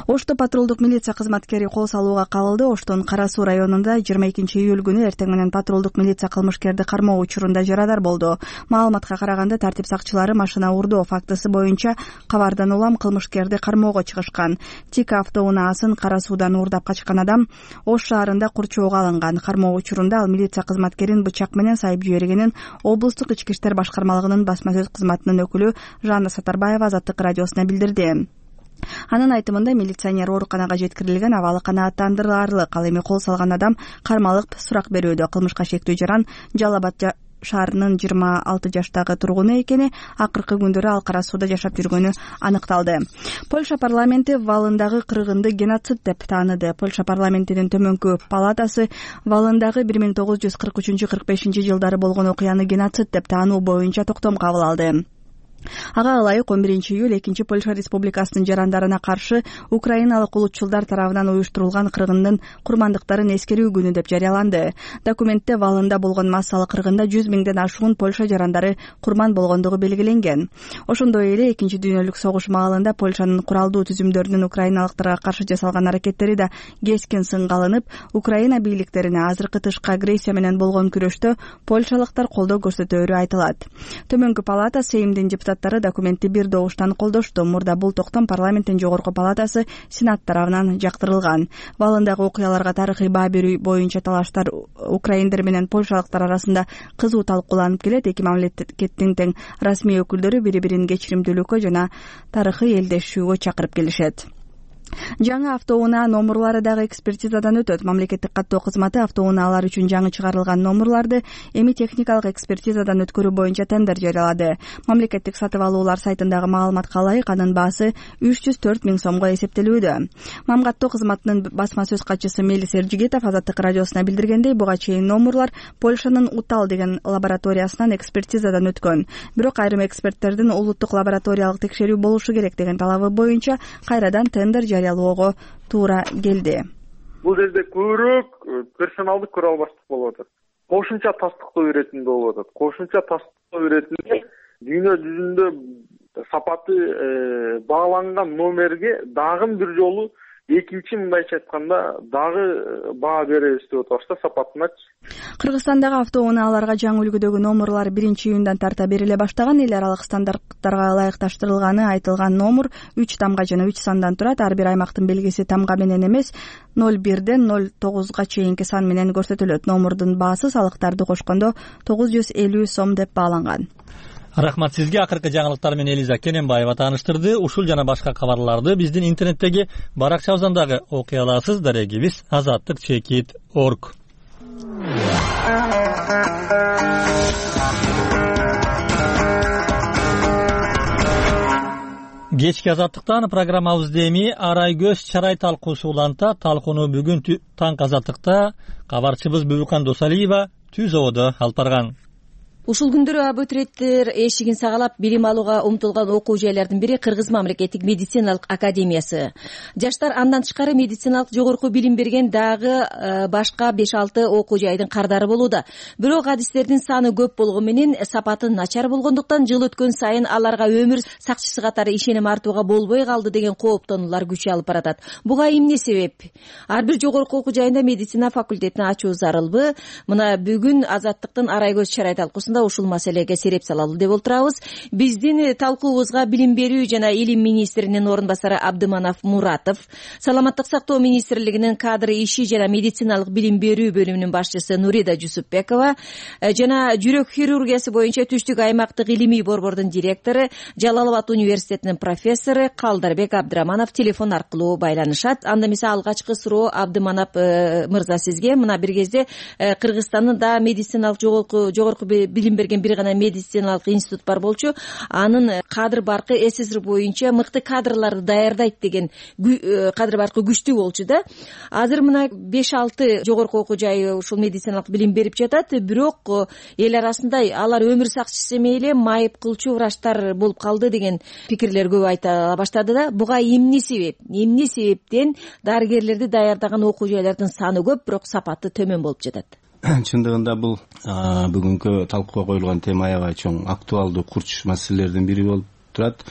Ошто патрулдук милиция кызматкери кол салууга кабылды. Оштон Кара Суу районунда 22 июль күнү эртең менен патрулдук милиция кылмышкерди кармоо учурунда жарадар болду. Маалыматка караганда тартип сакчылары машина урдоо фактысы боюнча кабардан улам кылмышкерди кармоого чыгышкан. Тик автоунаасын Кара Суудан уурдап качкан адам Ош шаарында курчоого алынган. Кармоо учурунда ал милиция кызматкерин бычак менен сайып жибергенин облустук ички иштер башкармалыгынын басма сөз кызматынын өкүлү Жанна Сатарбаева Азаттык радиосуна билдирди. Анын айтымында милиционер ооруканага жеткирилген, абалы канааттандырарлык. Ал эми кол салган адам кармалып сурак берүүдө. Кылмышка шектүү жаран Жалал Абад шаарынын 26 жаштагы тургуну экени, акыркы күндөрү ал Кара Сууда жашап жүргөнү аныкталды. Польша парламенти Валындагы кыргынды геноцид деп тааныды. Польша парламентинин төмөнкү палатасы Валындагы 1943-45 жылдары болгон окуяны геноцид деп таануу боюнча токтом кабыл алды. Ага ылайык 11 июль 2 Польша республикасынын жарандарына каршы украиналык улутчулдар тарабынан уюштурулган кыргындын курмандыктарын эскерүү күнү деп жарыяланды. Документте Валында болгон массалык кыргында 100 миңден ашуун Польша жарандары курман болгондугу белгиленген. Ошондой эле 2 дүйнөлүк согуш маалында Польшанын куралдуу түзүмдөрүнүн украиналыктарга каршы жасалган аракеттери да кескин сынга алынып, Украина бийликтерине азыркы тышкы агрессия менен болгон күрөштө польшалыктар колдоо көрсөтөөрү айтылат. Төмөнкү палата Сеймдин депутаттары документти бир добуштан колдошту. Мурда бул токтом парламенттин жогорку палатасы Сенат тарабынан жактырылган. Валындагы окуяларга тарыхый баа берүү боюнча талаштар украиндер менен польшалыктар арасында кызуу талкууланып келет. Эки мамлекеттин тең расмий өкүлдөрү бири-бирин кечиримдүүлүккө жана тарыхый элдешүүгө чакырып келишет. Жаңы автоунаа номурлары дагы экспертизадан өтөт. Мамлекеттик каттоо кызматы автоунаалар үчүн жаңы чыгарылган номурларды эми техникалык экспертизадан өткөрүү боюнча тендер жарыялады. Мамлекеттик сатып алуулар сайтындагы маалыматка ылайык анын баасы 304 000 сомго эсептелүүдө. Мамкаттоо кызматынын басма сөз катчысы Мелис Эржигитов Азаттык радиосуна билдиргендей, буга чейин номурлар Польшанын Утал деген лабораториясынан экспертизадан өткөн. Бирок айрым эксперттердин улуттук лабораториялык текшерүү болушу керек деген талабы боюнча кайрадан тендер жарыялоого туура келди. Бул жерде көбүрөөк персоналдык көрө албаштык болуп атат. Кошумча тастыктоо иретинде болуп атат. Кошумча тастыктоо иретинде дүйнө жүзүндө сапаты бааланган номерге дагы бир жолу экинчи, мындайча айтканда, дагы баа беребиз деп атабыз да сапатыначы. Кыргызстандагы автоунааларга жаңы үлгүдөгү номурлар 1-июндан тарта бериле баштаган. Эл аралык стандарттарга ылайыкташтырылганы айтылган номур 3 тамга жана 3 сандан турат. Ар бир аймактын белгиси тамга менен эмес 01ден 09га чейинки сан менен көрсөтүлөт. Номурдун баасы салыктарды кошкондо 950 сом деп бааланган. Рахмат сизге. Акыркы жаңылыктар менен Элиза Кененбаева тааныштырды. Ушул жана башка кабарларды биздин интернеттеги баракчабыздагы окуй аласыз. Дарегибиз azattik.org. Кечки Азаттыктан программабызды эми арай көз чарай талкуусу уланта. Талкууну бүгүн таң Азаттыкта кабарчыбыз Бүбүкан Досалиева Түз ободо алып барган. Ушул күндөрү абитуриенттер эшигин сагалап билим алууга умтулган окуу жайлардын бири Кыргыз мамлекеттик медициналык академиясы. Жаштар андан тышкары медициналык жогорку билим берген дагы башка 5-6 окуу жайдын кардары болууда. Бирок адистердин саны көп болгону менен сапаты начар болгондуктан жыл өткөн сайын аларга өмүр сакчысы катары ишеним артууга болбой калды деген кооптонуулар күч алып баратат. Буга эмне себеп? Ар бир жогорку окуу жайында медицина факультетин ачуу зарылбы? Мына бүгүн Азаттыктын арай көз чарай талкуусунда ушул маселеге сереп салалы деп отурабыз. Биздин талкуубузга билим берүү жана илим министринин орун басары Абдыманов Муратов, Саламаттык сактоо министрлигинин кадр иши жана медициналык билим берүү бөлүмүнүн башчысы Нурида Жусупбекова жана жүрөк хирургиясы боюнча Түштүк аймактык илимий борбордун директору, Жалал Абад университетинин профессору Калдарбек Абдыраманов телефон аркылуу байланышат. Анда эмесе алгачкы суроо Абдыманов мырза сизге. Мына бир кезде Кыргызстандын да медициналык жогорку билим берген бир гана медициналык институт бар болчу. Анын кадр баркы СССР боюнча мыкты кадрларды даярдайт деген кадр баркы күчтүү болчу да. Азыр мына 5-6 жогорку окуу жайы ушул медициналык билим берип жатат. Бирок эл арасында алар өмүр сакчысы мейли майып кылчу врачтар болуп калды деген пикирлер көп айта баштады да. Буга эмне себеп? Эмне себептен дарыгерлерди даярдаган окуу жайлардын саны көп, бирок сапаты төмөн болуп жатат? Чындыгында бул бүгүнкү талкууга коюлган тема аябай чоң, актуалдуу, курч маселелердин бири болуп турат.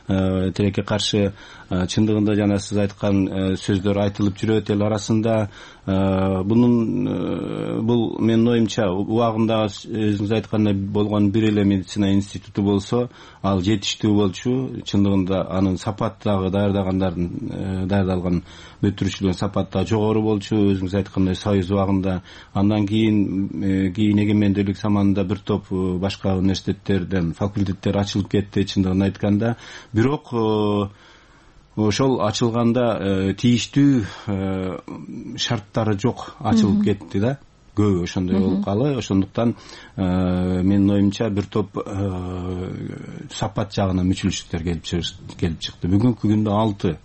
Тилекке каршы чындыгында жана сиз айткан сөздөр айтылып жүрөт эл арасында. Бул менин оюмча убагында өзүңүз айткандай болгон бир эле медицина институту болсо, ал жетиштүү болчу. Чындыгында анын сапаты дагы даярдалган бүтүрүшүлүгүн сапаты да жогору болчу. Өзүңүз айткандай Союз убагында, андан кийин эгемендүүлүк заманында бир топ башка университеттерден факультеттер ачылып кетти, чындыгын айтканда. Бирок ошол ачылганда тийиштүү шарттары жок, ачылып кетти да. Көбү ошондой болуп калды. Ошондуктан менин оюмча бир топ сапат жагынан мүчүлүштүктөр келип чыкты. Бүгүнкү күндө 6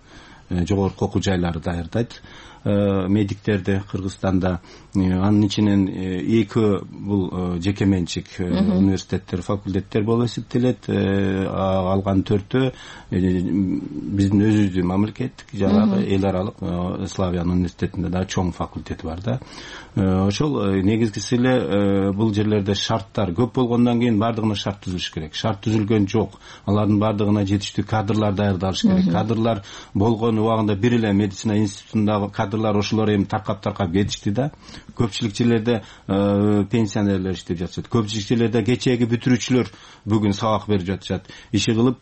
жогорку окуу жайлары даярдайт медиктерди Кыргызстанда. Анын ичинен 2 бул жеке менчик университеттер, факультеттер болуп эсептелет. Алган 4-өө биздин өзүбүздүн мамлекеттик жанагы эл аралык Славян университетинде да чоң факультети бар да. Ошол негизгиси эле бул жерлерде шарттар көп болгондон кийин бардыгына шарт түзүлүш керек. Шарт түзүлгөн жок. Алардын бардыгына жетиштүү кадрлар даярдалыш керек. Кадрлар болгон убагында бир эле медицина институтундагы кадрлар ошолор эми таркап кетишти да. Көпчүлүк жерлерде пенсионерлер иштеп жатышат. Көпчүлүк жерлерде кечээги бүтүрүүчүлөр бүгүн сабак берип жатышат. Иши кылып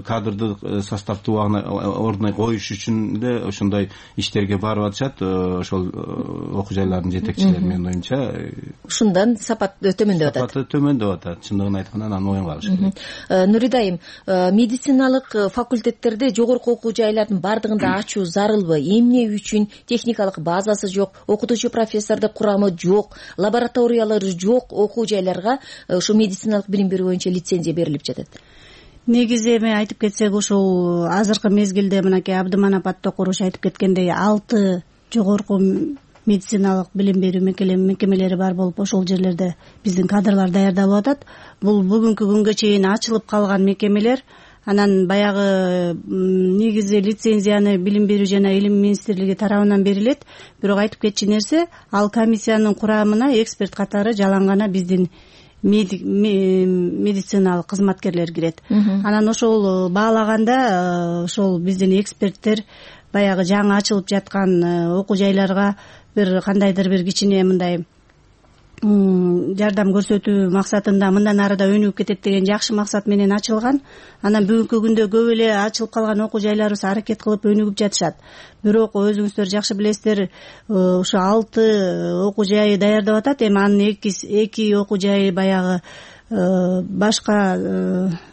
кадрдык составды ордуна коюш үчүн эле ошондой иштерге барып атышат. Ошол окуу жайлардын жетекчилери менин оюмча ушундан сапат төмөндөп атат. Сапаты төмөндөп атат. Чындыгын айтканда анан моюнга алыш керек. Нурида айым, медициналык факультеттерде жогорку окуу жайлардын бардыгында ачуу зарылбы? Эмне үчүн? Техникалык базасы жок, окутуучу профессордун курамы жок, лабораториялары жок окуу жайларга ушу медициналык билим берүү боюнча лицензия берилип жатат. Негизи эми айтып кетсек, ушул азыркы мезгилде мынакей Абдыманап Аттокуруш айтып кеткендей 6 жогорку медициналык билим берүү мекемелери бар болуп, ошол жерлерде биздин кадрлар даярдалып атат. Бул бүгүнкү күнгө чейин ачылып калган мекемелер. Анан баягы негизи лицензияны Билим берүү жана Илим министрлиги тарабынан берилет. Бирок айтып кетчү нерсе, ал комиссиянын курамына эксперт катары жалаң гана биздин медициналык кызматкерлер кирет. Анан ошол баалаганда ошол биздин эксперттер баягы жаңы ачылып жаткан окуу жайларга бир кандайдыр бир кичине мындай жардам көрсөтүү максатында мындан ары да өнүгүп кетет деген жакшы максат менен ачылган. Анан бүгүнкү күндө көп эле ачылып калган окуу жайларыбыз аракет кылып өнүгүп жатышат. Бирок өзүңүздөр жакшы билесиздер, ушу 6 окуу жайы даярдап атат. Эми анын 2 окуу жайы баягы башка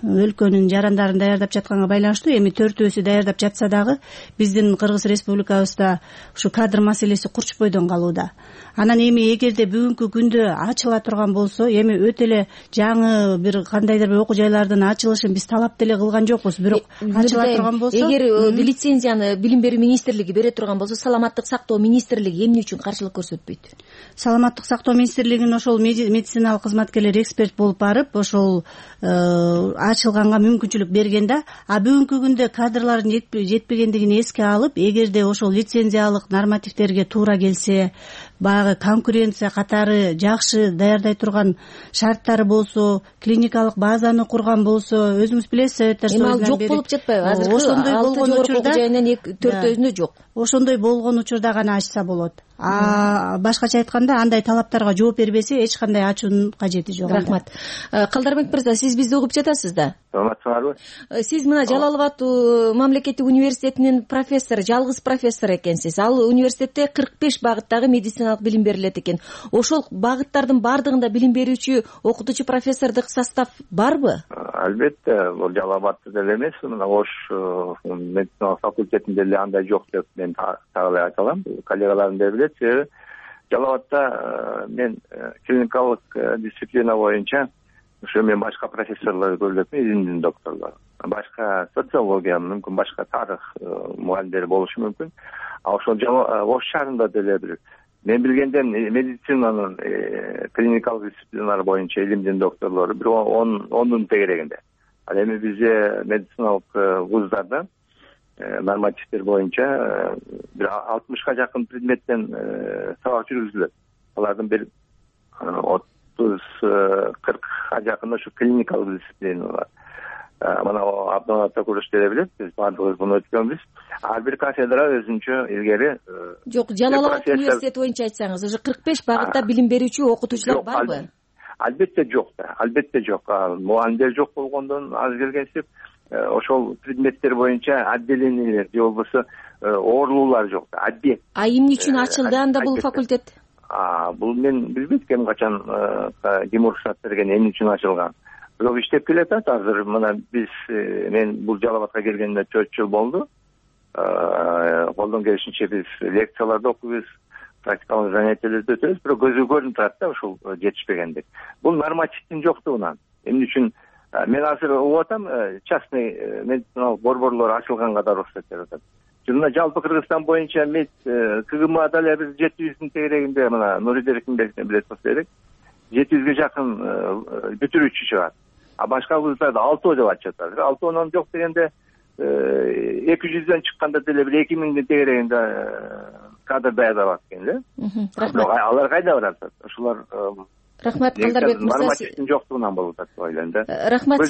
өлкөнүн жарандарын даярдап жатканга байланыштуу. Эми 4-өөсү даярдап жатса дагы биздин Кыргыз Республикабызда ушу кадр маселеси курчпойдон калууда. Анан эми эгерде бүгүнкү күндө ачыла турган болсо, эми өтө эле жаңы бир кандайдыр бир окуу жайлардын ачылышын биз талап деле кылган жокпуз. Бирок ачыла турган болсо, эгер лицензияны Билим берүү министрлиги бере турган болсо, Саламаттык сактоо министрлиги эмне үчүн каршылык көрсөтпөйт? Саламаттык сактоо министрлигинин ошол медициналык кызматкерлери эксперт болуп барып, ошол ачылганга мүмкүнчүлүк берген да. А бүгүнкү күндө кадрлардын жетпегендигин эске алып, эгерде ошол лицензиялык нормативтерге туура келсе, баягы конкуренция катары жакшы даярдай турган шарттары болсо, клиникалык базаны курган болсо, өзүңүз билесиз, советтер союзунан бери. Эми ал жок болуп жатпайбы? Азыр ошондой болгон учурда жайынан 4-өзүндө жок. Ошондой болгон учурда гана ачса болот. Башкача айтканда, андай талаптарга жооп бербесе, эч кандай ачуунун кажети жок. Рахмат. Калдарбек мырза, сиз бизди угуп жатасыз да? Саламатсыңарбы? Сиз мына Жалал Абад мамлекеттик университетинин профессору, жалгыз профессор экенсиз. Ал университетте 45 багыттагы медициналык билим берилет экен. Ошол багыттардын бардыгында билим берүүчү, окутуучу профессордук состав барбы? Албетте, бул Жалал Абадта деле эмес, мына Ош медициналык факультетинде деле андай жок деп мен так эле айта алам. Коллегаларым да билет. Жалал Абадта мен клиникалык дисциплина боюнча ошо мен башка профессорлор көрүлөт, илимдин докторлору, башка социология, мүмкүн башка тарых мугалимдери болушу мүмкүн. А ошол Ош шаарында деле бир мен билгенден медицинанын клиникалык дисциплиналар боюнча илимдин докторлору бир 10 тегерегинде. Ал эми бизде медициналык вуздарда нормативдер боюнча бир 60га жакын предметтен сабак жүргүзүлөт. Алардын бир 30-40га жакын ошо клиникалык дисциплиналар. Мына Абдыманап Аттокуруш деле билет, биз баардыгыбыз муну өткөнбүз. Ар бир кафедра өзүнчө илгери жок, Жалал Абад университети боюнча айтсаңыз, уже 45 багытта билим берүүчү окутуучулар барбы? Албетте жок да, албетте жок. Мугалимдер жок болгондон аз келгенсип, ошол предметтер боюнча отделениялер же болбосо оорулуулар жок да, объект. А эмне үчүн ачылды анда бул факультет? Бул мен билбейт ким качан ким уруксат берген, эмне үчүн ачылган. Бирок иштеп келатат азыр. Мына биз мен бул Жалал Абадка келгениме 4 жыл болду. Колдон келишинче биз лекцияларды окуйбуз, практикалык занятияларды өтөбүз, бирок көзгө көрүнүп турат да ушул жетишпегендик. Бул нормативдин жоктугунан. Эмне үчүн мен азыр угуп атам, частный медициналык борборлор ачылганга да уруксат берип атат. Жана жалпы Кыргызстан боюнча КГМ дале бир 700-дин тегерегинде, мына Нуридер Эркинбековден билет болсо керек, 700ге жакын бүтүрүүчү чыгат. А башка вуздарда 6 деп атышат. 6 жок дегенде 200дөн чыкканда деле бир 2000дин тегерегинде кадр даярдап экен эле. Алар кайда барат? Ошолор Рахмат, Калдарбек мырза. Нормативдин жоктугунан болуп атат деп ойлойм да. Рахмат,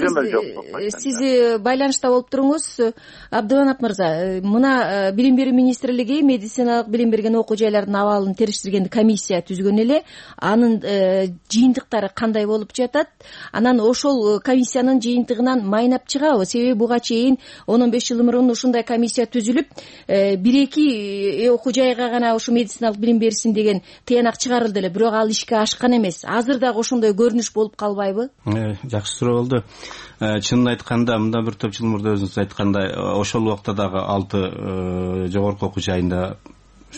сиз байланышта болуп туруңуз. Абдыманап мырза, мына Билим берүү министрлиги медициналык билим берген окуу жайлардын абалын териштирген комиссия түзгөн эле. Анын жыйынтыктары кандай болуп жатат? Анан ошол комиссиянын жыйынтыгынан майнап чыгабы? Себеби буга чейин 10-15 жыл мурун ушундай комиссия түзүлүп, 1-2 окуу жайга гана ушу медициналык билим берсин деген тыянак чыгарылды эле, бирок ал ишке ашкан эмес. Азыр дагы ошондой көрүнүш болуп калбайбы? Жакшы суроо болду. Чынын айтканда, мындан бир топ жыл мурда өзүңүз айткандай, ошол убакта дагы 6 жогорку окуу жайында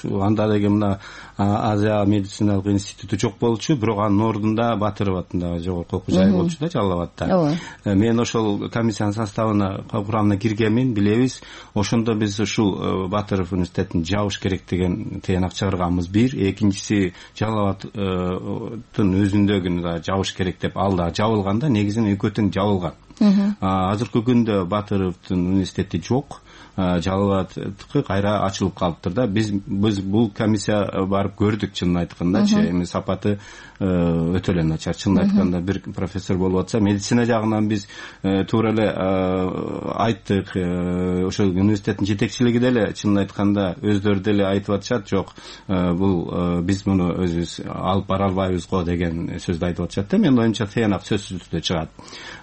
анда деген мына Азия медициналык институту жок болчу, бирок анын ордунда Батыров атындагы жогорку окуу жай болчу да, Жалал абадта. Мен ошол комиссиянын составына, курамына киргенмин, билебиз. Ошондо биз ушул Батыров университетин жабыш керек деген тыянак чыгарганбыз бир. Экинчиси Жалал абадтын өзүндөгүн да жабыш керек деп, ал да жабылганда, негизинен экөө тең жабылган. Азыркы күндө Батыровдун университети жок. Жалалбадтыкы кайра ачылып калыптыр да. Биз бул комиссия барып көрдүк, чынын айткандачы. Эми сапаты өтө эле начар. Чынын айтканда, бир профессор болуп атса, медицина жагынан биз туура эле айттык. Ошол университеттин жетекчилиги деле чынын айтканда өздөрү деле айтып атышат, жок, бул биз муну өзүбүз алып бара албайбыз го деген сөздү айтып атышат да. Менин оюмча тыянак сөзсүз түрдө чыгат.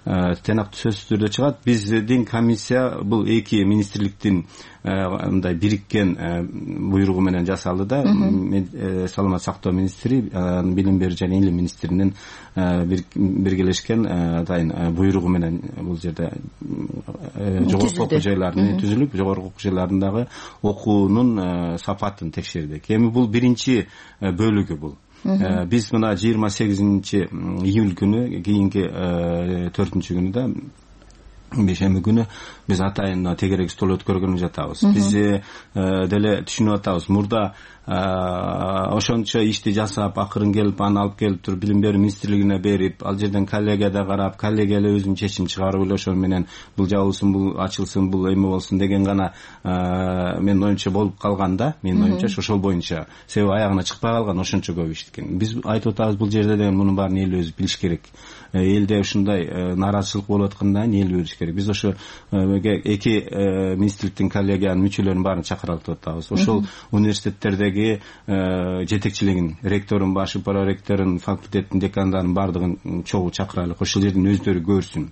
Тыянак сөзсүз түрдө чыгат. Биздин комиссия бул эки министрликтин мындай бириккен буйругу менен жасалды да. Саламат сактоо министри, билим берүү жана илим министринин биргелешкен атайын буйругу менен бул жерде жогорку окуу жайларын түзүлүп, жогорку окуу жайларындагы окуунун сапатын текшердик. Эми бул биринчи бөлүгү бул. Биз мына 28 июль күнү, кийинки 4-күнү да, бейшемби күнү биз атайын тегерек стол өткөргөнү жатабыз. Биз деле түшүнүп атабыз, мурда ошончо ишти жасап, акырын келип, аны алып келип туруп билим берүү министрлигине берип, ал жерден коллегияда карап, коллегия эле өзүнүн чечим чыгарып эле ошо менен бул жабылсын, бул ачылсын, бул эме болсун деген гана менин оюмча болуп калганда, менин оюмча ошол боюнча, себеби аягына чыкпай калган ошончо көп ишткен. Биз айтып атабыз, бул жерде деген мунун баарын эл өзү билиш керек. Элде ушундай нааразычылык болуп атканда эл билиш керек. Биз ошо эки министрликтин коллегиянын мүчөлөрүнүн баарын чакыралып атабыз. Ошол университеттердеги жетекчилигин, ректорун, башы проректорун, факультеттин декандарын баардыгын чогуу чакырайлык. Ошол жерден өздөрү көрсүн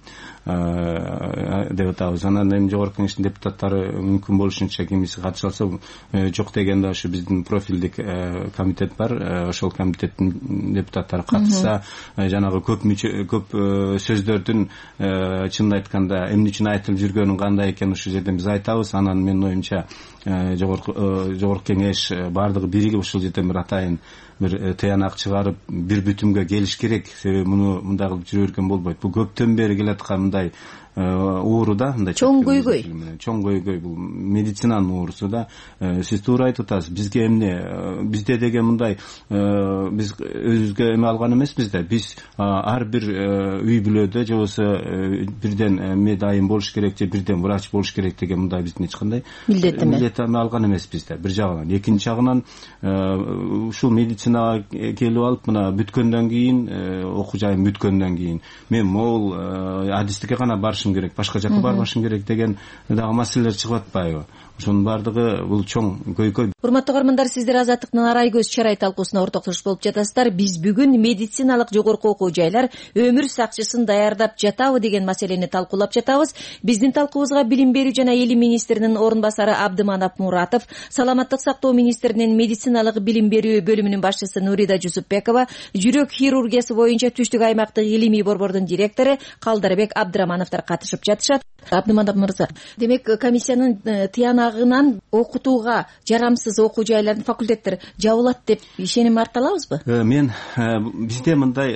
деп атабыз. Анан эми жогорку кеңештин депутаттары мүмкүн болушунча кимиси катыша алса, жок дегенде ошо биздин профилдик комитет бар. Ошол комитеттин депутаттары катышса, жанагы көп сөздөрдүн чынын айтканда эмне үчүн айтылып жүргөнүн кандай экенин ушул жерден биз айтабыз. Анан менин оюмча жогорку кеңеш баардыгы биригип ушул жерден бир атайын бир тыянак чыгарып, бир бүтүмгө келиш керек. Себеби муну мындай кылып жүрө берген болбойт. Бул көптөн бери келаткан мындай ууру да, мындай чоң көйгөй. Чоң көйгөй, бул медицинанын уурусу да. Сиз туура айтып атасыз. Бизге эмне, бизде деген мындай биз өзүбүзгө эме алган эмеспиз да. Биз ар бир үй бүлөдө же болбосо бирден медайым болуш керек, же бирден врач болуш керек деген мындай биздин эч кандай милдет алган эмеспиз да. Бир жагынан, экинчи жагынан ушул медицинага келип алып, мына бүткөндөн кийин, окуу жайым бүткөндөн кийин мен могул адистикке гана барышым керек, башка жака барбашым керек деген дагы маселелер чыгып атпайбы? Ошонун баардыгы бул чоң көйгөй. Урматтуу көрөрмандар, сиздер Азаттыктын Арай көз чарай талкуусуна ортоктошуп болуп жатасыздар. Биз бүгүн медициналык жогорку окуу жайлар өмүр сакчысын даярдап жатабы деген маселени талкуулап жатабыз. Биздин талкуубузга билим берүү жана илим министринин орун басары Абдыманап Муратов, саламаттык сактоо министринин медициналык билим берүү бөлүмүнүн башчысы Нурида Жусупбекова, жүрөк хирургиясы боюнча Түштүк аймактык илимий борбордун директору Калдарбек Абдырамановдор катышып жатышат. Абдыманап мырза, демек комиссиянын тыянагынан окутууга жарамсыз окуу жайлардын, факультеттер жабылат деп ишеним арта алабызбы? Мен бизде мындай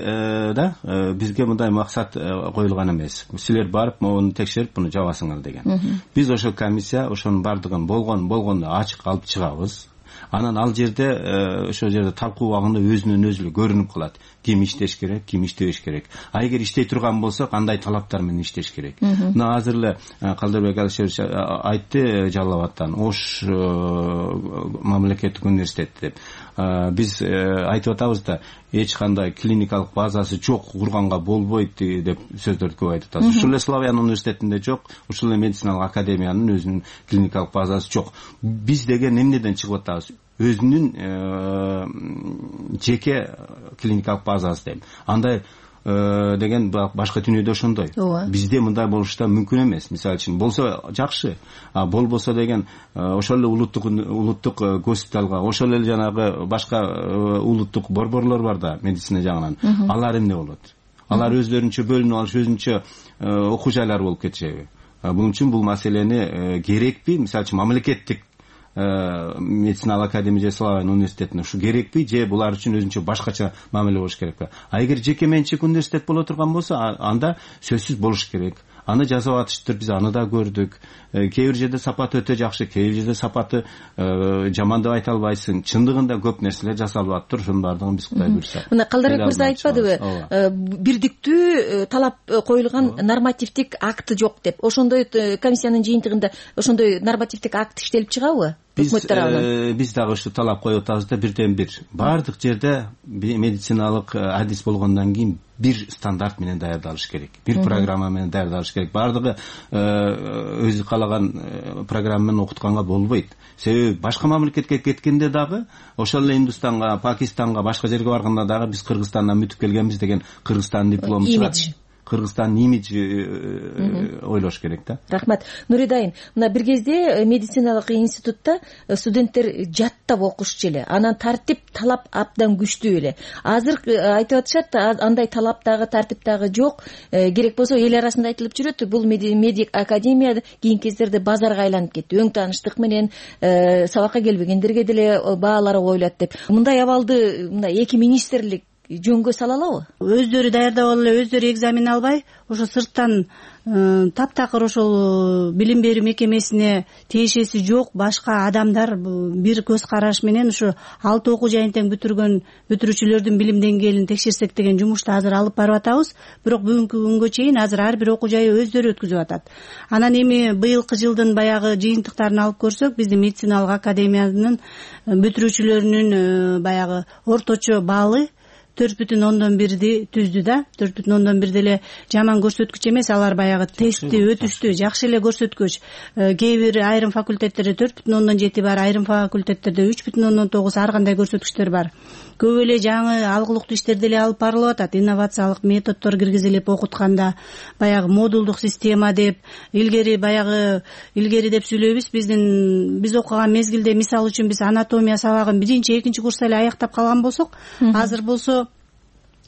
да, бизге мындай максат коюлган эмес. Силер барып муну текшерип, муну жабасыңар деген. Биз ошол комиссия ошонун баардыгын болгондо ачык алып чыгабыз. Анан ал жерде ошол жерде талкуу убагында өзүнөн өзү көрүнүп калат ким иштеш керек, ким иштебеш керек. А эгер иштей турган болсо кандай талаптар менен иштеш керек. Мына азыр эле Калдырбек Алишерович айтты Жалал Абадтан, Ош мамлекеттик университет деп. Биз айтып атабыз да, эч кандай клиникалык базасы жок, курганга болбойт деп сөздөрдү көп айтып атабыз. Ушул эле Славян университетинде жок, ушул эле медициналык академиянын өзүнүн клиникалык базасы жок. Биз деген эмнеден чыгып атабыз? Өзүнүн жеке клиникалык базасы деп. Андай деген башка дүйнөдө ошондой. Бизде мындай болуш да мүмкүн эмес. Мисалы үчүн болсо жакшы, а болбосо деген ошол эле улуттук госпиталга, ошол эле жанагы башка улуттук борборлор бар да медицина жагынан. Алар эмне болот? Алар өздөрүнчө бөлүнүп алыш, өзүнчө окуу жайлар болуп кетишеби? Бул үчүн бул маселени керекпи? Мисалы үчүн мамлекеттик медициналык академия же Славян университетине ушу керекпи, же булар үчүн өзүнчө башкача мамиле болуш керекпи? А эгер жеке менчик университет боло турган болсо, анда сөзсүз болуш керек. Аны жасап атыштыр, биз аны да көрдүк. Кээ бир жерде сапаты өтө жакшы, кээ бир жерде сапаты жаман деп айта албайсың. Чындыгында көп нерселер жасалып атыптыр, ошонун баардыгын биз Кудай буйрса. Мына Калдырбек мырза айтпадыбы, бирдиктүү талап коюлган нормативдик акты жок деп. Ошондой комиссиянын жыйынтыгында ошондой нормативдик акт иштелип чыгабы? Биз дагы ушу талап коюп атабыз да, бирден бир. Бардык жерде медициналык адис болгондон кийин бир стандарт менен даярдалыш керек. Бир программа менен даярдалыш керек. Бардыгы өзү каалаган программа менен окутканга болбойт. Себеби башка мамлекетке кеткенде дагы, ошол эле Индустанга, Пакистанга, башка жерге барганда дагы биз Кыргызстандан мүтүп келгенбиз деген Кыргызстандын диплому чыгат. Кыргызстандын имиджи ойлош керек да. Рахмат. Нуридайын, мына бир кезде медициналык институтта студенттер жаттап окушчу эле. Анан тартип, талап абдан күчтүү эле. Азыр айтып атышат, андай талап дагы, тартип дагы жок. Керек болсо эл арасында айтылып жүрөт, бул медик академия кийинки кездерде базарга айланып кетти. Өң тааныштык менен сабакка келбегендерге деле баалары коюлат деп. Мындай абалды мына эки министрлик жөнгө сала алабы? Өздөрү даярдап алып эле, өздөрү экзамен албай, ошо сырттан таптакыр ошол билим берүү мекемесине тиешеси жок башка адамдар бир көз караш менен ушу 6 окуу жайын тең бүтүргөн бүтүрүүчүлөрдүн билим деңгээлин текшерсек деген жумушту азыр алып барып атабыз. Бирок бүгүнкү күнгө чейин азыр ар бир окуу жайы өздөрү өткүзүп атат. Анан эми быйылкы жылдын баягы жыйынтыктарын алып көрсөк, биздин медициналык академиянын бүтүрүүчүлөрүнүн баягы орточо баалы 4,1 түздү да. 4,1 деле жаман көрсөткүч эмес, алар баягы тестти өтүштү, жакшы эле көрсөткүч. Кээ бир айрым факультеттерде 4,7 бар, айрым факультеттерде 3,9, ар кандай көрсөткүчтөр бар. Көп эле жаңы алгылыктуу иштерди деле алып барылып атат. Инновациялык методдор киргизилип окутканда, баягы модулдук система деп, илгери деп сүйлөйбүз. Биз окуган мезгилде, мисалы үчүн, биз анатомия сабагын 1-2 курста эле аяктап калган болсок, азыр болсо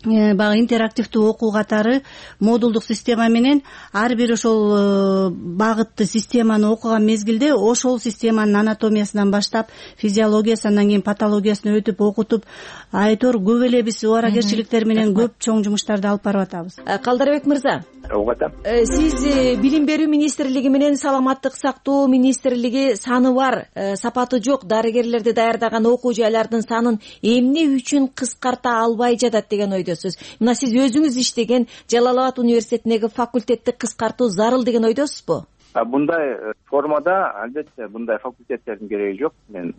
баягы интерактивдүү окуу катары модулдук система менен ар бир ошол багытты системаны окуган мезгилде ошол системанын анатомиясынан баштап физиологиясы, андан кийин патологиясына өтүп окутуп, айтор көп эле биз убаракерчиликтер менен көп чоң жумуштарды алып барып атабыз. Калдырбек мырза, сиз билим берүү министрлиги менен саламаттык сактоо министрлиги саны бар, сапаты жок дарыгерлерди даярдаган окуу жайлардын санын эмне үчүн кыскарта албай жатат деген ойдосуз. Мына сиз өзүңүз иштеген Жалал Абад университетиндеги факультетти кыскартуу зарыл деген ойдосузбу? Мындай формада албетте мындай факультеттердин кереги жок, мен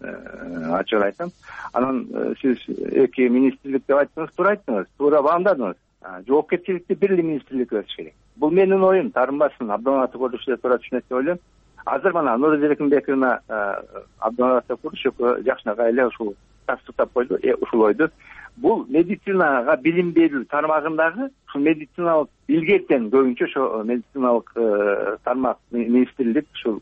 ачык айтам. Анан сиз эки министрлик деп айттыңыз, туура баамдадыңыз. Жоопкерчиликти бир эле министрлик өтүш керек. Бул менин оюм, таарынбасын, Абдулматов Курушев туура түшүнөт деп ойлойм. Азыр мына Нуридайын Эркинбековна Абдулматов Курушев жакшынака эле ушул тастыктап койду, ушул ойду. Бул медицинага билим берүү тармагындагы ушул медициналык илгертен көбүнчө ошо медициналык тармак министрлик ушул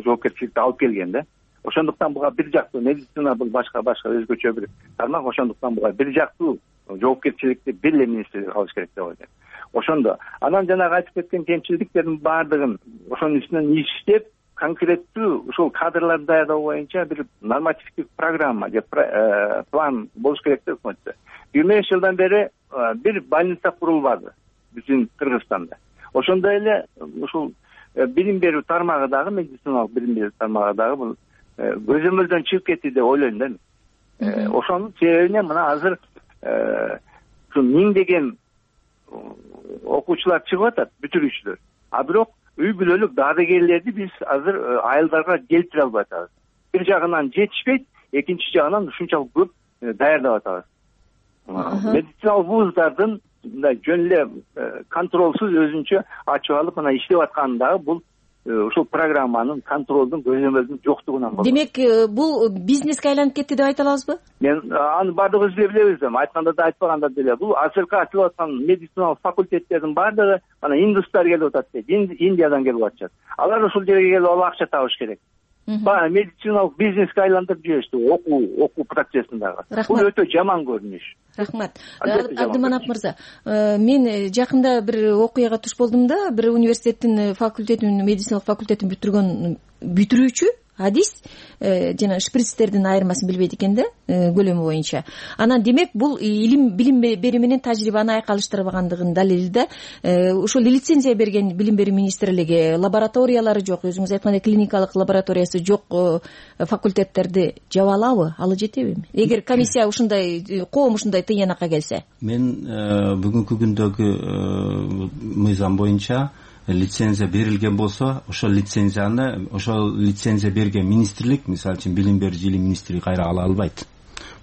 жоопкерчиликти алып келген да. Ошондуктан буга бир жактуу медицина бул башка өзгөчө бир тармак, ошондуктан буга бир жактуу жоопкерчиликти бир эле министрлик алыш керек деп ойлойм. Ошондо анан жанагы айтып кеткен кемчиликтердин баардыгын ошонун үстүнөн иштеп, конкреттүү ушул кадрларды даярдоо боюнча бир нормативдик программа же план болуш керек деп өкмөттө. 20 жылдан бери бир больница курулбады биздин Кыргызстанда. Ошондой эле ушул билим берүү тармагы дагы, медициналык билим берүү тармагы дагы бул көзөмөлдөн чыгып кетти деп ойлойм да. Ошонун себебинен мына азыр ушу миңдеген окуучулар чыгып атат, бүтүрүүчүлөр. А бирок үй бүлөлүк дарыгерлерди биз азыр айылдарга келтире албай атабыз. Бир жагынан жетишпейт, экинчи жагынан ушунчалык көп даярдап атабыз. Медициналык вуздардын мындай жөн эле контролсуз өзүнчө ачып алып мына иштеп атканы дагы бул ушул программанын контролдун көзөмөлдүн жоктугунан болот. Демек бул бизнеске айланып кетти деп айта алабызбы? Мен аны баардыгыбыз эле билебиз да, айтканда да айтпаганда деле. Бул азыркы ачылып аткан медициналык факультеттердин баардыгы мына индустар келип атат дейт, Индиядан келип атышат. Алар ушул жерге келип алып акча табыш керек. Медициналык бизнеске айлантырып жиберишти окуу процессин дагы. Бул өтө жаман көрүнүш. Рахмат. Абдыманап мырза, мен жакында бир окуяга туш болдум да, бир университеттин медициналык факультетин бүтүрүүчү адис жана шприцтердин айырмасын билбейт экен да, көлөмү боюнча. Анан демек бул билим берүү менен тажрыйбаны айкалыштырбагандыгынын далили да. Ошол лицензия берген билим берүү министрлиги лабораториялары жок, өзүңүз айткандай клиникалык лабораториясы жок факультеттерди жаба алабы? Алы жетеби? Эгер комиссия ушундай, коом ушундай тыйынакка келсе. Мен бүгүнкү күндөгү мыйзам боюнча лицензия берилген болсо, ошол лицензия берген министрлик, мисалы үчүн билим берүү жили министрлиги кайра ала албайт.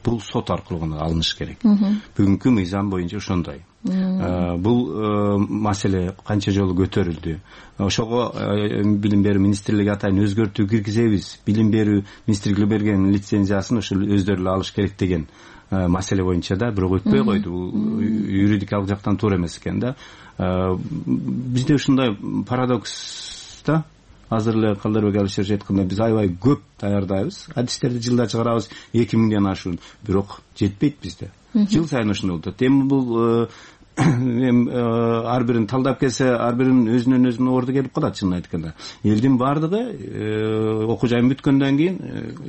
Бул сот аркылуу гана алыныш керек. Бүгүнкү мыйзам боюнча ошондой. Бул маселе канча жолу көтөрүлдү. Ошого билим берүү министрлиги атайын өзгөртүү киргизебиз. Билим берүү министрлиги берген лицензиясын ошол өздөрү эле алыш керек деген маселе боюнча да бирок өтпөй койду. Бул юридикалык жактан туура эмес экен да. Бизде ушундай парадокс да. Азыр эле Калдарбек Алишерович айткандай биз аябай көп даярдайбыз. Адистерди жылда чыгарабыз 2000ден ашуун, бирок жетпейт бизде. Жыл сайын ушундай болот. Эми бул ар бирин талдап келсе, ар биринин өзүнөн өзүнө орду келип калат чынын айтканда. Элдин баардыгы окуу жайын бүткөндөн кийин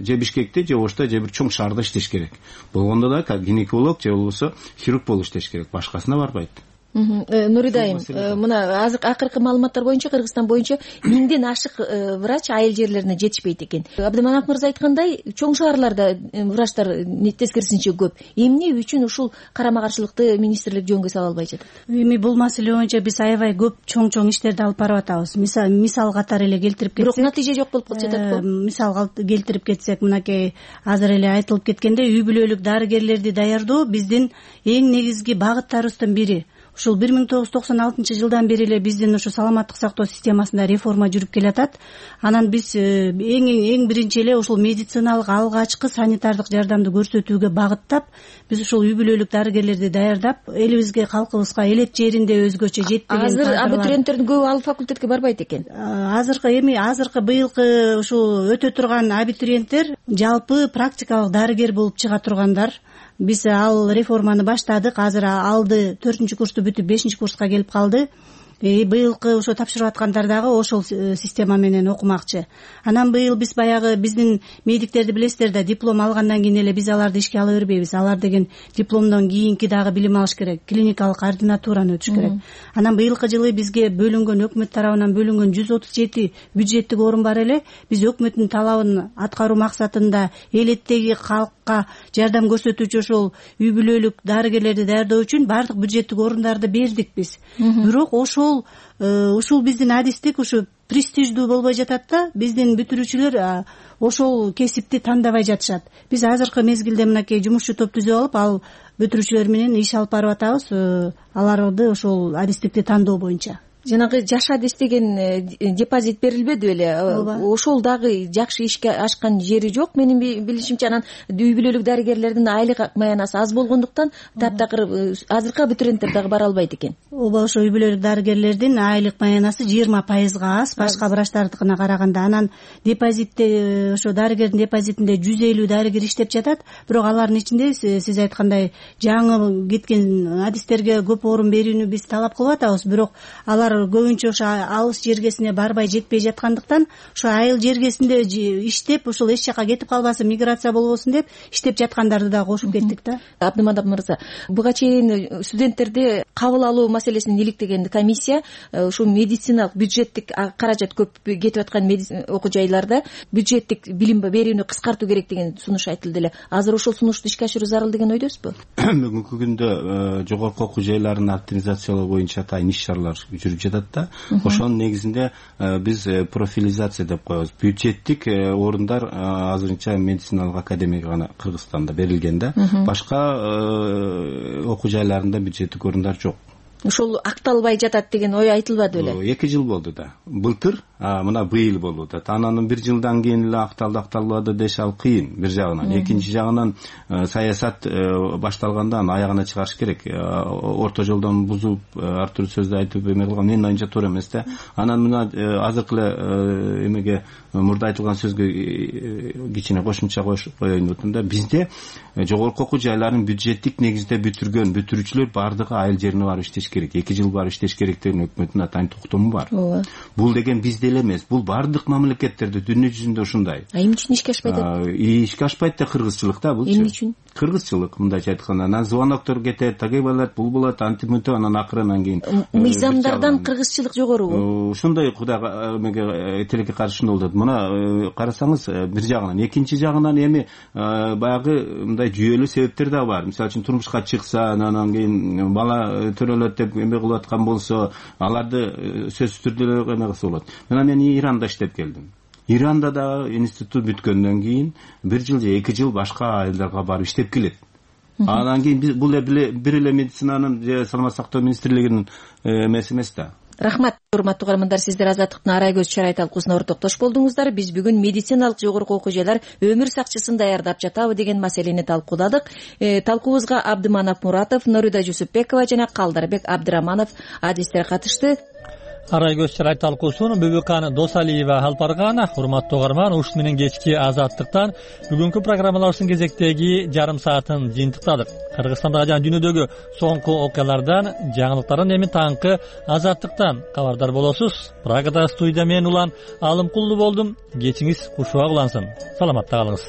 же Бишкекте, же Ошто, же бир чоң шаарда иштеш керек. Болгондо да гинеколог же болбосо хирург болуп иштеш керек. Башкасына барбайт. Нуридайым, мына акыркы маалыматтар боюнча Кыргызстан боюнча 1000ден ашык врач айыл жерлерине жетишпейт экен. Абдыманап мырза айткандай, чоң шаарларда врачтар тескерисинче көп. Эмне үчүн ушул карама каршылыкты министрлик жөнгө сала албай жатат? Эми бул маселе боюнча биз аябай көп чоң иштерди алып барып атабыз. Мисал катары эле келтирип кетсек, бирок натыйжа жок болуп калып жатат го. Мисал келтирип кетсек, мынакей азыр эле айтылып кеткендей, үй бүлөлүк дарыгерлерди даярдоо биздин эң негизги багыттарыбыздын бири. Ушул 1996 жылдан бери эле биздин ушу саламаттык сактоо системасында реформа жүрүп келатат. Анан биз эң биринчи эле ушул медициналык алгачкы санитардык жардамды көрсөтүүгө багыттап, биз ушул үй бүлөлүк дарыгерлерди даярдап, элибизге, калкыбызга элек жеринде өзгөчө жетпеген. Азыр абитуриенттердин көбү ал факультетке барбайт экен. Азыркы быйылкы ушул өтө турган абитуриенттер жалпы практикалык дарыгер болуп чыга тургандар. Биз ал реформаны баштадык. Азыр алды 4-курсту бүтүп 5-курска келип калды. Быйылкы ошо тапшырып аткандар дагы ошол система менен окумакчы. Анан быйыл биз баягы биздин медиктерди билесиздер да, диплом алгандан кийин эле биз аларды ишке ала бербейбиз. Алар деген дипломдон кийинки дагы билим алыш керек, клиникалык ординатураны өтүш керек. Анан быйылкы жылы бизге бөлүнгөн, өкмөт тарабынан бөлүнгөн 137 бюджеттик орун бар эле. Биз өкмөттүн талабын аткаруу максатында элеттеги калкка жардам көрсөтүүчү ошол үй бүлөлүк дарыгерлерди даярдоо үчүн баардык бюджеттик орундарды бердик биз. Бирок ушул биздин адистик ушу престиждүү болбой жатат да, биздин бүтүрүүчүлөр ошол кесипти тандабай жатышат. Биз азыркы мезгилде мынакей жумушчу топ түзүп алып, ал бүтүрүүчүлөр менен иш алып барып атабыз, аларды ошол адистикти тандоо боюнча. Жанагы жаш адис деген депозит берилбеди беле? Ошол дагы жакшы ишке ашкан жери жок менин билишимче. Анан үй бүлөлүк дарыгерлердин айлык маянасы аз болгондуктан таптакыр азыркы абитуриенттер дагы бара албайт экен. Ооба, ошо үй бүлөлүк дарыгерлердин айлык маянасы 20%га аз башка врачтардыкына караганда. Анан депозитте, ошо дарыгердин депозитинде 150 дарыгер иштеп жатат. Бирок алардын ичинде сиз айткандай жаңы кеткен адистерге көп орун берүүнү биз талап кылып атабыз. Бирок алар көбүнчө ошо алыс жергесине барбай жетпей жаткандыктан ошо айыл жергесинде иштеп ошол эч жака кетип калбасын, миграция болбосун деп иштеп жаткандарды да кошуп кеттик да. Абдыманап мырза, буга чейин студенттерди кабыл алуу маселесин иликтеген комиссия ушу медициналык бюджеттик каражат көп кетип аткан окуу жайларда бюджеттик билим берүүнү кыскартуу керек деген сунуш айтылды эле. Азыр ошол сунушту ишке ашыруу зарыл деген ойдосузбу? Бүгүнкү күндө жогорку окуу жайларын оптимизациялоо боюнча атайын иш-чаралар жүрүп жатат да. Ошонун негизинде биз профилизация деп коебуз. Бюджеттик орундар азырынча медициналык академияга гана Кыргызстанда берилген да. Башка окуу жайларында бюджеттик орундар жок. Ошол акталбай жатат деген ой айтылбады беле? 2 жыл болду да. Былтыр, мына быйыл болуп атат. Анан 1 жылдан кийин эле акталбады деш ал кыйын бир жагынан. Экинчи жагынан саясат башталгандан аягына чыгарыш керек. Орто жолдон бузуп, ар түрдүү сөздү айтып эме кылган менин оюмча туура эмес да. Анан мына азыркы эле эмеге мурда айтылган сөзгө кичине кошумча коеюн деп атам да. Бизде жогорку окуу жайларын бюджеттик негизде бүтүрүүчүлөр бардыгы айыл жерине барып иштеш керек. 2 жыл барып иштеш керек деген өкмөттүн атайын токтому бар. Бул деген бизде эле эмес. Бул бардык мамлекеттерде дүйнө жүзүндө ушундай. Эмне үчүн ишке ашпайт? Ишке ашпайт да кыргызчылык да бул. Эмне үчүн? Кыргызчылык мындайча айтканда, анан звоноктор кетет, тагы болот, бул болот, антимөтө, анан акырынан кийин мыйзамдардан кыргызчылык жогорубу? Ушундай кудайга эмеге тилекке каршы болот. Мына карасаңыз бир жагынан, экинчи жагынан эми баягы мындай жүйөлүү себептер да бар. Мисалы үчүн турмушка чыкса, анан кийин бала төрөлөт деп эме кылып аткан болсо, аларды сөзсүз түрдө эме кылса болот. Мына мен Иранда иштеп келдим. Иранда да институт бүткөндөн кийин 1 жыл же 2 жыл башка айылдарга барып иштеп келет. Анан кийин бул бир эле медицинанын же саламат сактоо министрлигинин эмеси эмес да. Рахмат, урматтуу каармандар, сиздер Азаттыктын Арай көз чарай талкуусуна ортоктош болдуңуздар. Биз бүгүн медициналык жогорку окуу жайлар өмүр сакчысын даярдап жатабы деген маселени талкууладык. Талкуубузга Абдыманап Муратов, Норида Жусупбекова жана Калдарбек Абдыраманов адистер катышты. Арай көз чарай талкуусун Бүбүкан Досалиева алып барган. Урматтуу угарман, ушун менен кечки Азаттыктан бүгүнкү программаларыбыздын кезектеги жарым саатын жыйынтыктадык. Кыргызстандагы жана дүйнөдөгү соңку окуялардан, жаңылыктардан эми таңкы Азаттыктан кабардар болосуз. Прагада студия мен Улан Алымкулду болдум. Кечиңиз кушуак улансын. Саламатта калыңыз.